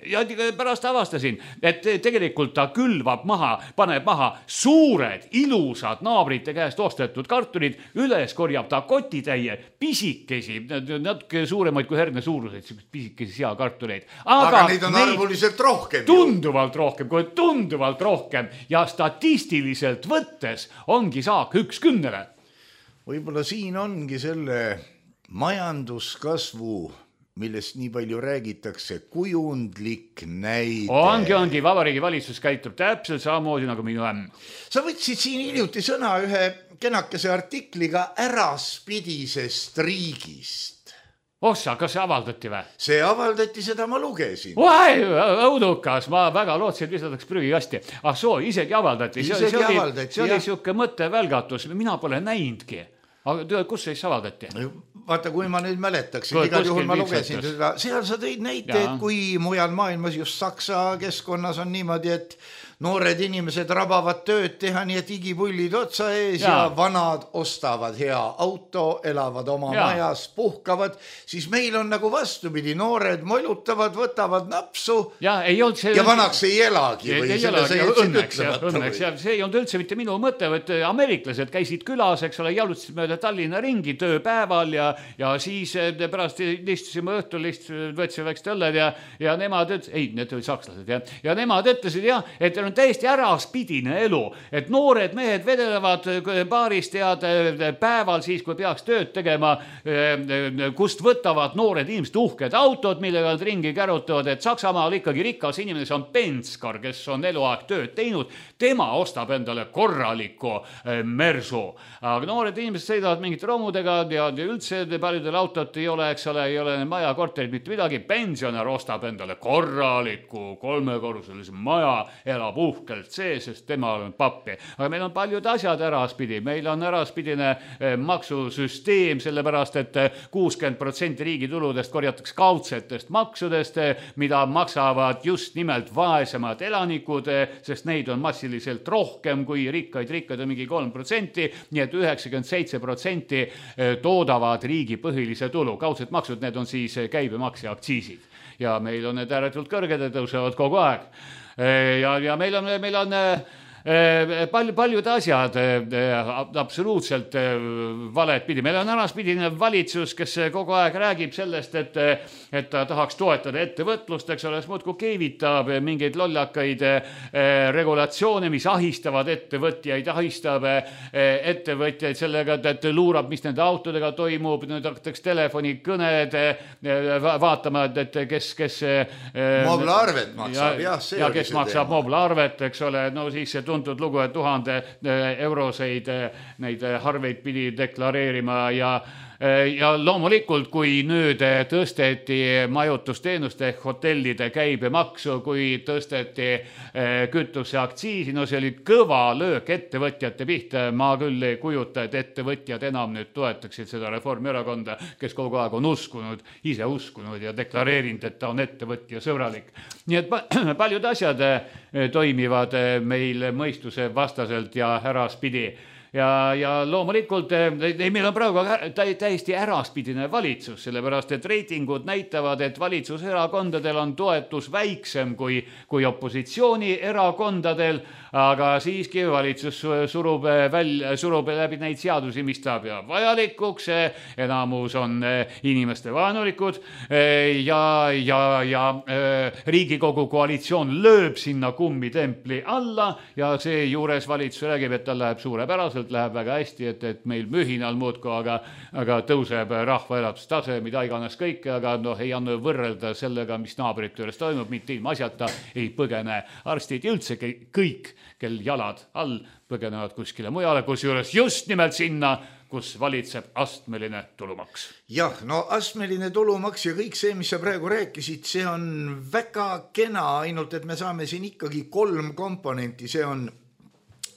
Ja pärast avastasin, et tegelikult ta külvab maha, paneb maha suured, ilusad naabrite käest ostetud kartulid, üles korjab ta kotitäie, pisikesi, natuke suuremaid kui herne suuruseid, pisikesi seakartuleid. Aga, aga neid on arvuliselt rohkem. Tunduvalt rohkem, kui tunduvalt rohkem ja statistiliselt võttes ongi saak üks kümnele. Võib-olla siin ongi selle majanduskasvu, millest nii palju räägitakse, kujundlik näide. Ongi, ongi, Vabariigi valitsus käitub täpselt samamoodi nagu minu ämm. Sa võtsid siin hiljuti sõna ühe kenakese artikliga äraspidisest riigist. Ossa, kas see avaldati või? See avaldati, seda ma lugesin. Vai, õudukas, ma väga lootsin, et visataks prügikasti. Ah soo, isegi avaldati. Isegi see oli, avaldati, see oli siuke mõttevälgatus, mina pole näinudki. Aga kus siis avaldati? Vaata, kui ma nüüd mäletaksin, igal juhul ma lugesin seda. Seal sa tõid näite, et kui mujal maailmas just Saksa keskkonnas on niimoodi, et noored inimesed rabavad tööd teha, nii et igipullid otsa ees ja, ja vanad ostavad hea auto, elavad oma ja. majas, puhkavad, siis meil on nagu vastupidi, noored molutavad, võtavad napsu ja, ei olnud see... ja vanaks ei elagi. Või ei elagi, õnneks, ja, õnneks ja see ei olnud üldse mitte minu mõte, et ameeriklased käisid külas, eks ole, jalutasid mööda Tallinna ringi tööpäeval ja, ja siis pärast istusime õhtul, võtsime väikest õlled ja, ja nemad ütlesid, ei, need olid sakslased ja, ja nemad ütlesid jah, et on täiesti äraspidine elu, et noored mehed vedelevad baarist ja päeval siis, kui peaks tööd tegema, kust võtavad noored inimesed uhked autod, millega nad ringi kärutavad, et Saksamaal ikkagi rikas inimene, see on Penskar, kes on eluaeg tööd teinud, tema ostab endale korraliku mersu. Aga noored inimesed sõidavad mingite romudega ja üldse paljudel autot ei ole, eks ole, ei ole maja, korterid, mitte midagi. Pensionär ostab endale korraliku kolmekorruselise maja, elab uhkelt see, sest tema on pappi. Aga meil on paljud asjad äraspidi. Meil on äraspidine maksusüsteem, sellepärast, et kuuskümmend protsenti riigi tuludest korjatakse kaudsetest maksudest, mida maksavad just nimelt vaesemad elanikud, sest neid on massiliselt rohkem kui rikkaid. Rikkaid on mingi kolm protsenti, nii et üheksakümmend seitse protsenti toodavad riigi põhilise tulu. Kaudsed maksud, need on siis käibemaks ja aktsiisid. Ja meil on need ääretult kõrged ja tõusevad kogu aeg. Ja, ja meil on, meil on palju, paljud asjad absoluutselt valet pidi. Meil on äraspidine valitsus, kes kogu aeg räägib sellest, et, et ta tahaks toetada ettevõtlust, eks ole, muudkui keevitab mingeid lollakaid regulatsioone, mis ahistavad ettevõtjaid, ahistab ettevõtjaid sellega, et luurab, mis nende autodega toimub, nüüd hakatakse telefonikõned vaatama, et kes, kes mooblaarvet maksab, ja, jah, see ja kes maksab mooblaarvet, eks ole, no siis see tuntud lugu, et tuhande euroseid neid harveid pidi deklareerima ja ja loomulikult, kui nüüd tõsteti majutusteenuste ehk hotellide käibemaksu, kui tõsteti kütuse aktsiisi, no see oli kõva löök ettevõtjate pihta. Ma küll ei kujuta, et ettevõtjad enam nüüd toetaksid seda Reformierakonda, kes kogu aeg on uskunud, ise uskunud ja deklareerinud, et ta on ettevõtja sõbralik. Nii et paljud asjad toimivad meil mõistuse vastaselt ja äraspidi. Ja, ja loomulikult meil on praegu täiesti äraspidine valitsus, sellepärast et reitingud näitavad, et valitsuserakondadel on toetus väiksem kui, kui opositsiooni erakondadel, aga siiski valitsus surub, välja, surub läbi neid seadusi, mis ta peab vajalikuks, enamus on inimeste vaenulikud ja, ja, ja Riigikogu koalitsioon lööb sinna kummitempli alla ja see juures valitsus räägib, et tal läheb suurepäraselt, läheb väga hästi, et, et meil mühinal muudku, aga, aga tõuseb rahva elatustase, mida iganes kõike, aga noh, ei anna võrrelda sellega, mis naabrite juures toimub, mitte ilma asjata ei põgene arstid ja üldse kõik, kel jalad all põgenevad kuskile mujale, kus juures just nimelt sinna, kus valitseb astmeline tulumaks. Jah, no astmeline tulumaks ja kõik see, mis sa praegu rääkisid, see on väga kena, ainult et me saame siin ikkagi kolm komponenti, see on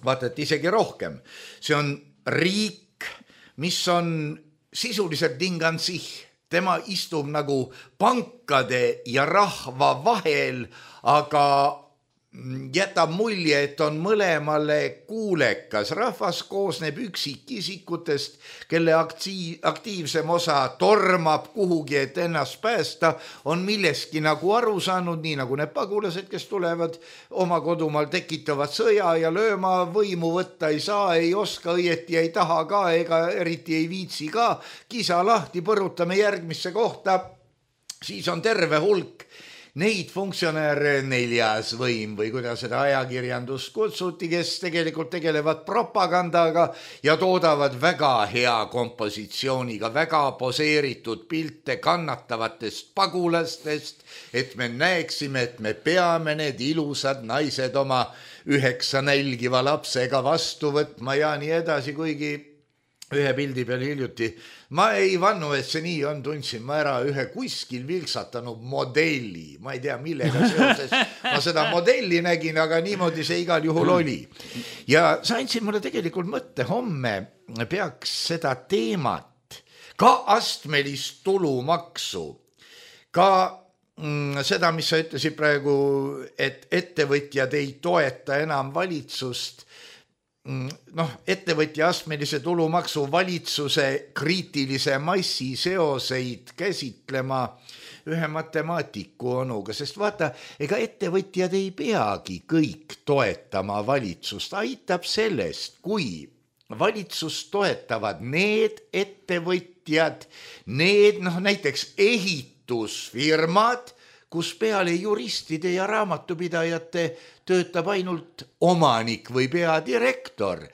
vaata, et isegi rohkem. See on riik, mis on sisuliselt dingansih. Tema istub nagu pankade ja rahva vahel, aga jätab mulje, et on mõlemale kuulekas. Rahvas koosneb üksikisikutest, kelle aktiiv, aktiivsem osa tormab kuhugi, et ennast päästa, on milleski nagu aru saanud, nii nagu need pagulased, kes tulevad oma kodumaal, tekitavad sõja ja lööma, võimu võtta ei saa, ei oska, õieti ei taha ka, ega eriti ei viitsi ka. Kisa lahti, põrutame järgmisse kohta, siis on terve hulk neid funktsionääre, neljas võim või kuidas seda ajakirjandust kutsuti, kes tegelikult tegelevad propagandaga ja toodavad väga hea kompositsiooniga, väga poseeritud pilte kannatavatest pagulastest, et me näeksime, et me peame need ilusad naised oma üheksa nälgiva lapsega vastu võtma ja nii edasi, kuigi ühe pildi peal hiljuti. Ma ei vannu, et see nii on, tundsin ma ära ühe kuskil vilksatanud modelli. Ma ei tea, millega seoses ma seda modelli nägin, aga niimoodi see igal juhul oli. Ja sa andsid mulle tegelikult mõtte, homme peaks seda teemat, ka astmelist tulumaksu, ka mm, seda, mis sa ütlesid praegu, et ettevõtjad ei toeta enam valitsust, noh, ettevõtja astmelise tulumaksu valitsuse kriitilise massi seoseid käsitlema ühe matemaatiku onuga, sest vaata, ega ettevõtjad ei peagi kõik toetama valitsust, aitab sellest, kui valitsust toetavad need ettevõtjad, need noh, näiteks ehitusfirmad, kus peale juristide ja raamatupidajate töötab ainult omanik või peadirektor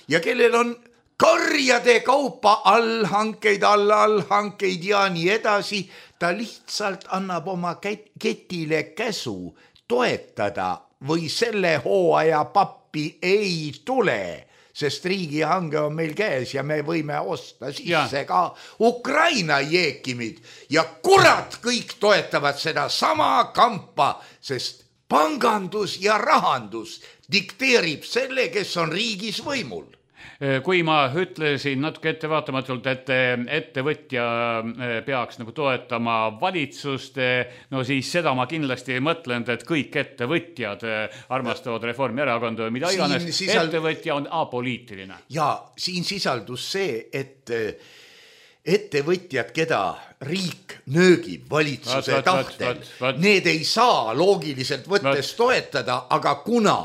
ja kellel on karjade kaupa allhankeid, allhankeid ja nii edasi, ta lihtsalt annab oma ketile käsu toetada või selle hooaja pappi ei tule, sest riigihange on meil käes ja me võime osta sisse ja. Ka Ukraina jeekimid ja kurat kõik toetavad seda sama kampa, sest pangandus ja rahandus dikteerib selle, kes on riigis võimul. Kui ma ütlesin natuke ettevaatamatult, et ettevõtja peaks nagu toetama valitsust, no siis seda ma kindlasti mõtlen, et kõik ettevõtjad armastavad Reformierakonda või mida iganes. Sisald... Ettevõtja on apoliitiline. Ja siin sisaldus see, et ettevõtjad, keda riik nöögib valitsuse vat, tahtel, vat, vat, vat. Need ei saa loogiliselt võttes vat. Toetada, aga kuna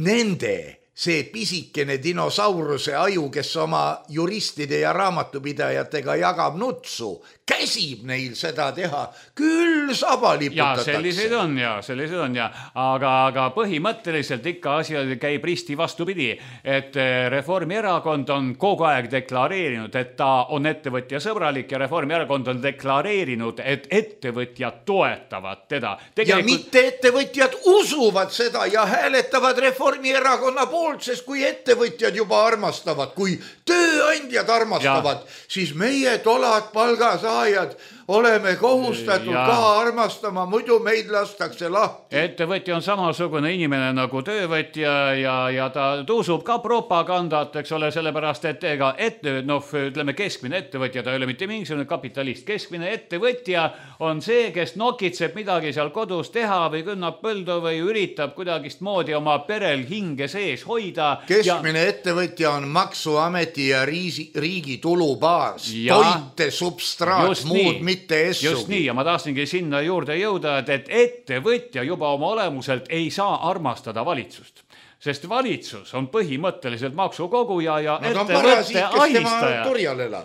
nende see pisikene dinosauruse aju, kes oma juristide ja raamatupidajatega jagab nutsu, käsib neil seda teha, küll saba liputatakse. Ja sellised on ja, sellised on ja, aga, aga põhimõtteliselt ikka asi käib risti vastupidi, et Reformierakond on kogu aeg deklareerinud, et ta on ettevõtja sõbralik ja Reformierakond on deklareerinud, et ettevõtjad toetavad teda. Tegelikult... Ja mitte ettevõtjad usuvad seda ja hääletavad Reformierakonna poolt, sest kui ettevõtjad juba armastavad, kui tööandjad armastavad, ja. Siis meie tolad palgasaajad oleme kohustatud ja. Ka armastama, muidu meid lastakse lahti. Ettevõtja on samasugune inimene nagu töövõtja ja, ja ta tõusub ka propagandat, eks ole, sellepärast, et ega ette, noh, ütleme keskmine ettevõtja, ta ei ole mitte mingisugune kapitalist. Keskmine ettevõtja on see, kes nokitseb midagi seal kodus teha või künnab põldu või üritab kuidagist moodi oma perel hinge sees hoida. Keskmine ja... ettevõtja on maksuameti ja riisi, riigi tulubaas, ja... toite, substraat, just muud nii. Mitte essugi. Just nii, ja ma tahtsingi sinna juurde jõuda, et, et ettevõtja juba oma olemuselt ei saa armastada valitsust. Sest valitsus on põhimõtteliselt maksukoguja ja no, ettevõtte ahistaja.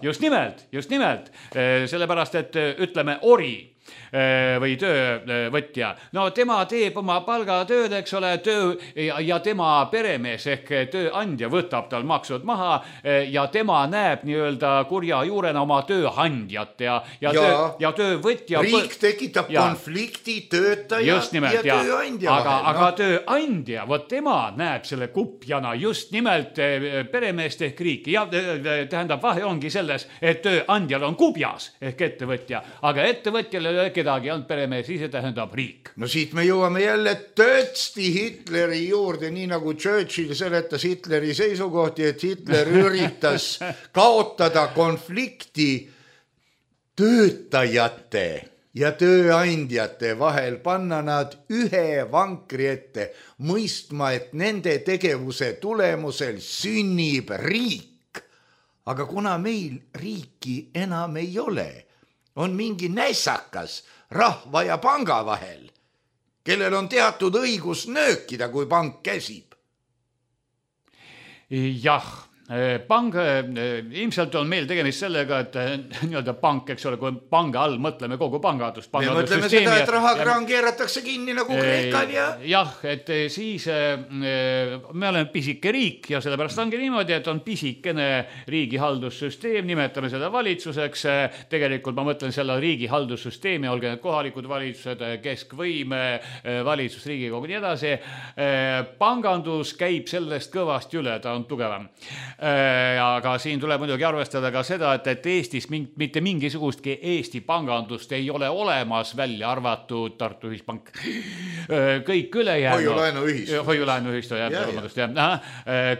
Just nimelt, just nimelt. Sellepärast, et ütleme ori või töövõtja. No tema teeb oma palgatööd, eks ole, töö ja, ja tema peremees ehk tööandja võtab tal maksud maha ja tema näeb nii-öelda kurja juurena oma tööandjat ja, ja, ja, töö, ja töövõtja... Riik tekitab ja, konflikti töötaja nimelt, ja, ja tööandja aga, vahel. Aga no? Tööandja, võt tema näeb selle kupjana just nimelt peremeest ehk riiki ja tähendab vahe ongi selles, et tööandjal on kubjas ehk ettevõtja, aga ettevõtjale kedagi on peremees, ise tähendab riik. No siit me jõuame jälle töötsti Hitleri juurde, nii nagu Churchill seletas Hitleri seisukohti, et Hitler üritas kaotada konflikti töötajate ja tööandjate vahel, panna nad ühe vankri ette, mõistma, et nende tegevuse tulemusel sünnib riik. Aga kuna meil riiki enam ei ole, on mingi nässakas rahva ja panga vahel, kellel on teatud õigus nöökida, kui pank käsib. Jah, pang, ilmselt on meil tegemist sellega, et nii-öelda pank, eks ole, kui panga all mõtleme kogu pangandust. Me mõtleme seda, et rahakraan keeratakse kinni nagu Kreekal ja... Jah, et siis me oleme pisike riik ja sellepärast ongi niimoodi, et on pisikene riigihaldussüsteem, nimetame seda valitsuseks. Tegelikult ma mõtlen selle riigihaldussüsteemi, olge need kohalikud valitsused, keskvõim, valitsus, riigikogu, nii edasi. Pangandus käib sellest kõvasti üle, ta on tugevam. Aga siin tuleb muidugi arvestada ka seda, et, et Eestis ming, mitte mingisugustki Eesti pangandust ei ole olemas, välja arvatud Tartu Ühispank. Kõik ülejäänu... Hoiulaenuühistu. Hoiulaenuühistu, jah, jah, jah.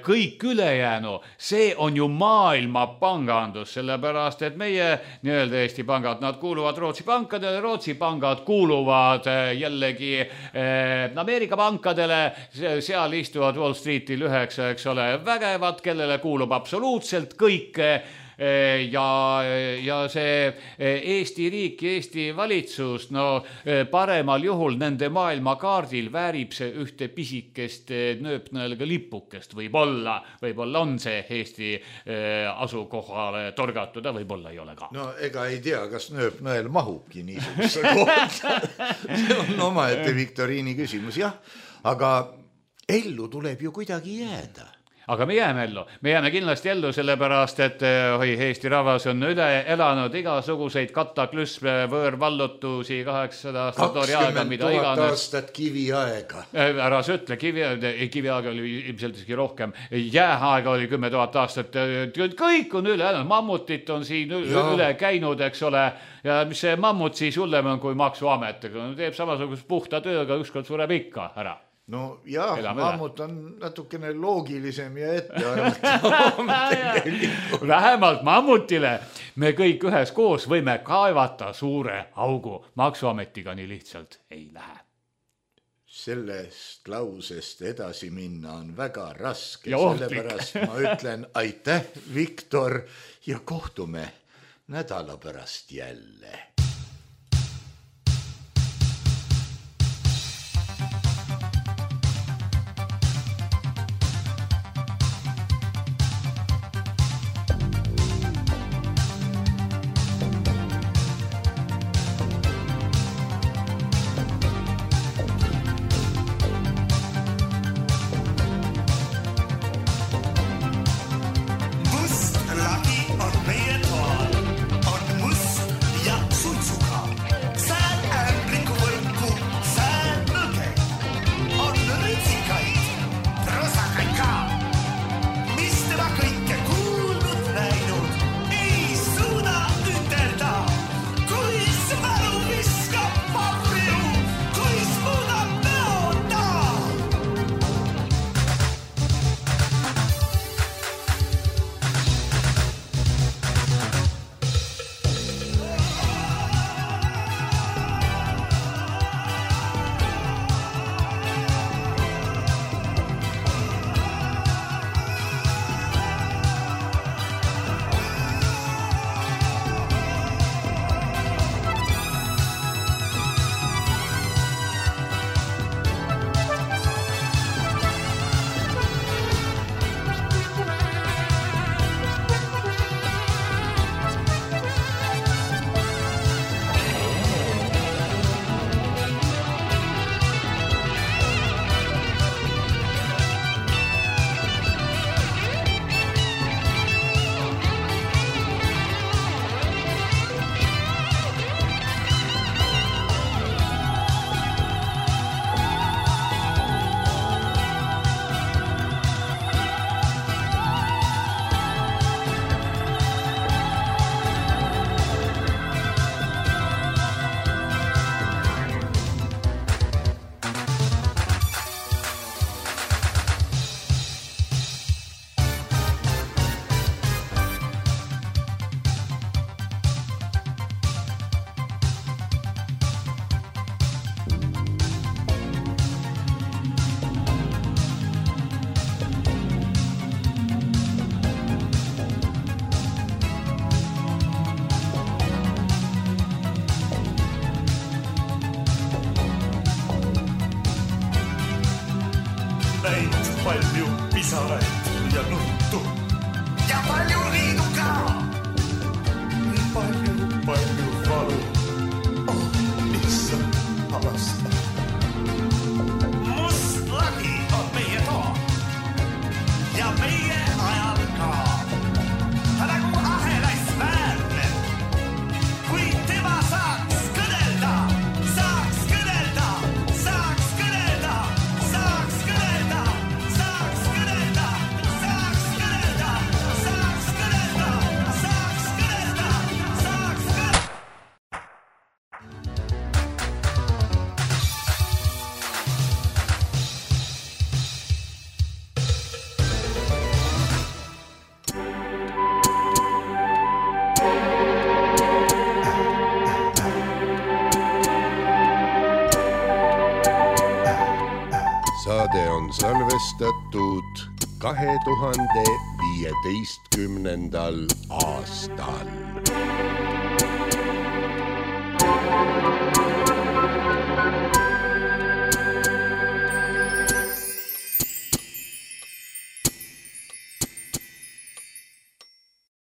Kõik ülejäänu, see on ju maailma pangandus, sellepärast, et meie nii-öelda Eesti pangad, nad kuuluvad Rootsi pankadele, Rootsi pangad kuuluvad jällegi Ameerika pankadele, seal istuvad Wall Streetil üheksa, eks ole, vägevad, kellele kuulub absoluutselt kõik ja, ja see Eesti riik ja Eesti valitsus, no paremal juhul nende maailmakaardil väärib see ühte pisikest nööpnõelga lipukest, võib-olla, võib-olla on see Eesti asukohale torgatud, võib-olla ei ole ka. No ega ei tea, kas nööpnõel mahubki niisuguse kohta. See on omaette viktoriini küsimus, jah, aga ellu tuleb ju kuidagi jääda. Aga me jääme ellu, me jääme kindlasti ellu sellepärast, et oi, Eesti rahvas on üle elanud igasuguseid kataklüsme, võõrvallutusi, kaheksasada aastat oriaaga, mida iganes. kakskümmend tuhat aastat kiviaega. Ära sa ütle, kiviaega, kiviaega oli ilmselt isegi rohkem, jääaega oli kümme tuhat aastat, kõik on üle elanud, mammutit on siin ja. üle käinud, eks ole, ja mis see mammut siis hullem on kui maksuamet, teeb samasugust puhta tööga, ükskord sureb ikka ära. No jah, mammut on natukene loogilisem ja ettearvatavam. Vähemalt mammutile me kõik ühes koos võime kaevata suure augu. Maksuametiga nii lihtsalt ei lähe. Sellest lausest edasi minna on väga raske, ja sellepärast ma ütlen aitäh, Viktor, ja kohtume nädala pärast jälle. Must, Lucky und Meteor und Must, ja, palju pisaraid ja nuttu. Ja palju liidu ka. Palju, palju valu. Oh, issand, avasta. Must lagi on meie too. Ja meie ajal ka. Ta nagu ahelais väärne. Kui tema saaks kõnelda, saaks kõnelda, saaks kõnelda, saaks kõnelda, saaks kõnelda, saaks kõnelda, saaks kõnelda, saaks kõnelda, saaks kõnelda. Saade on salvestatud kahe tuhande viieteistkümnendal aastal.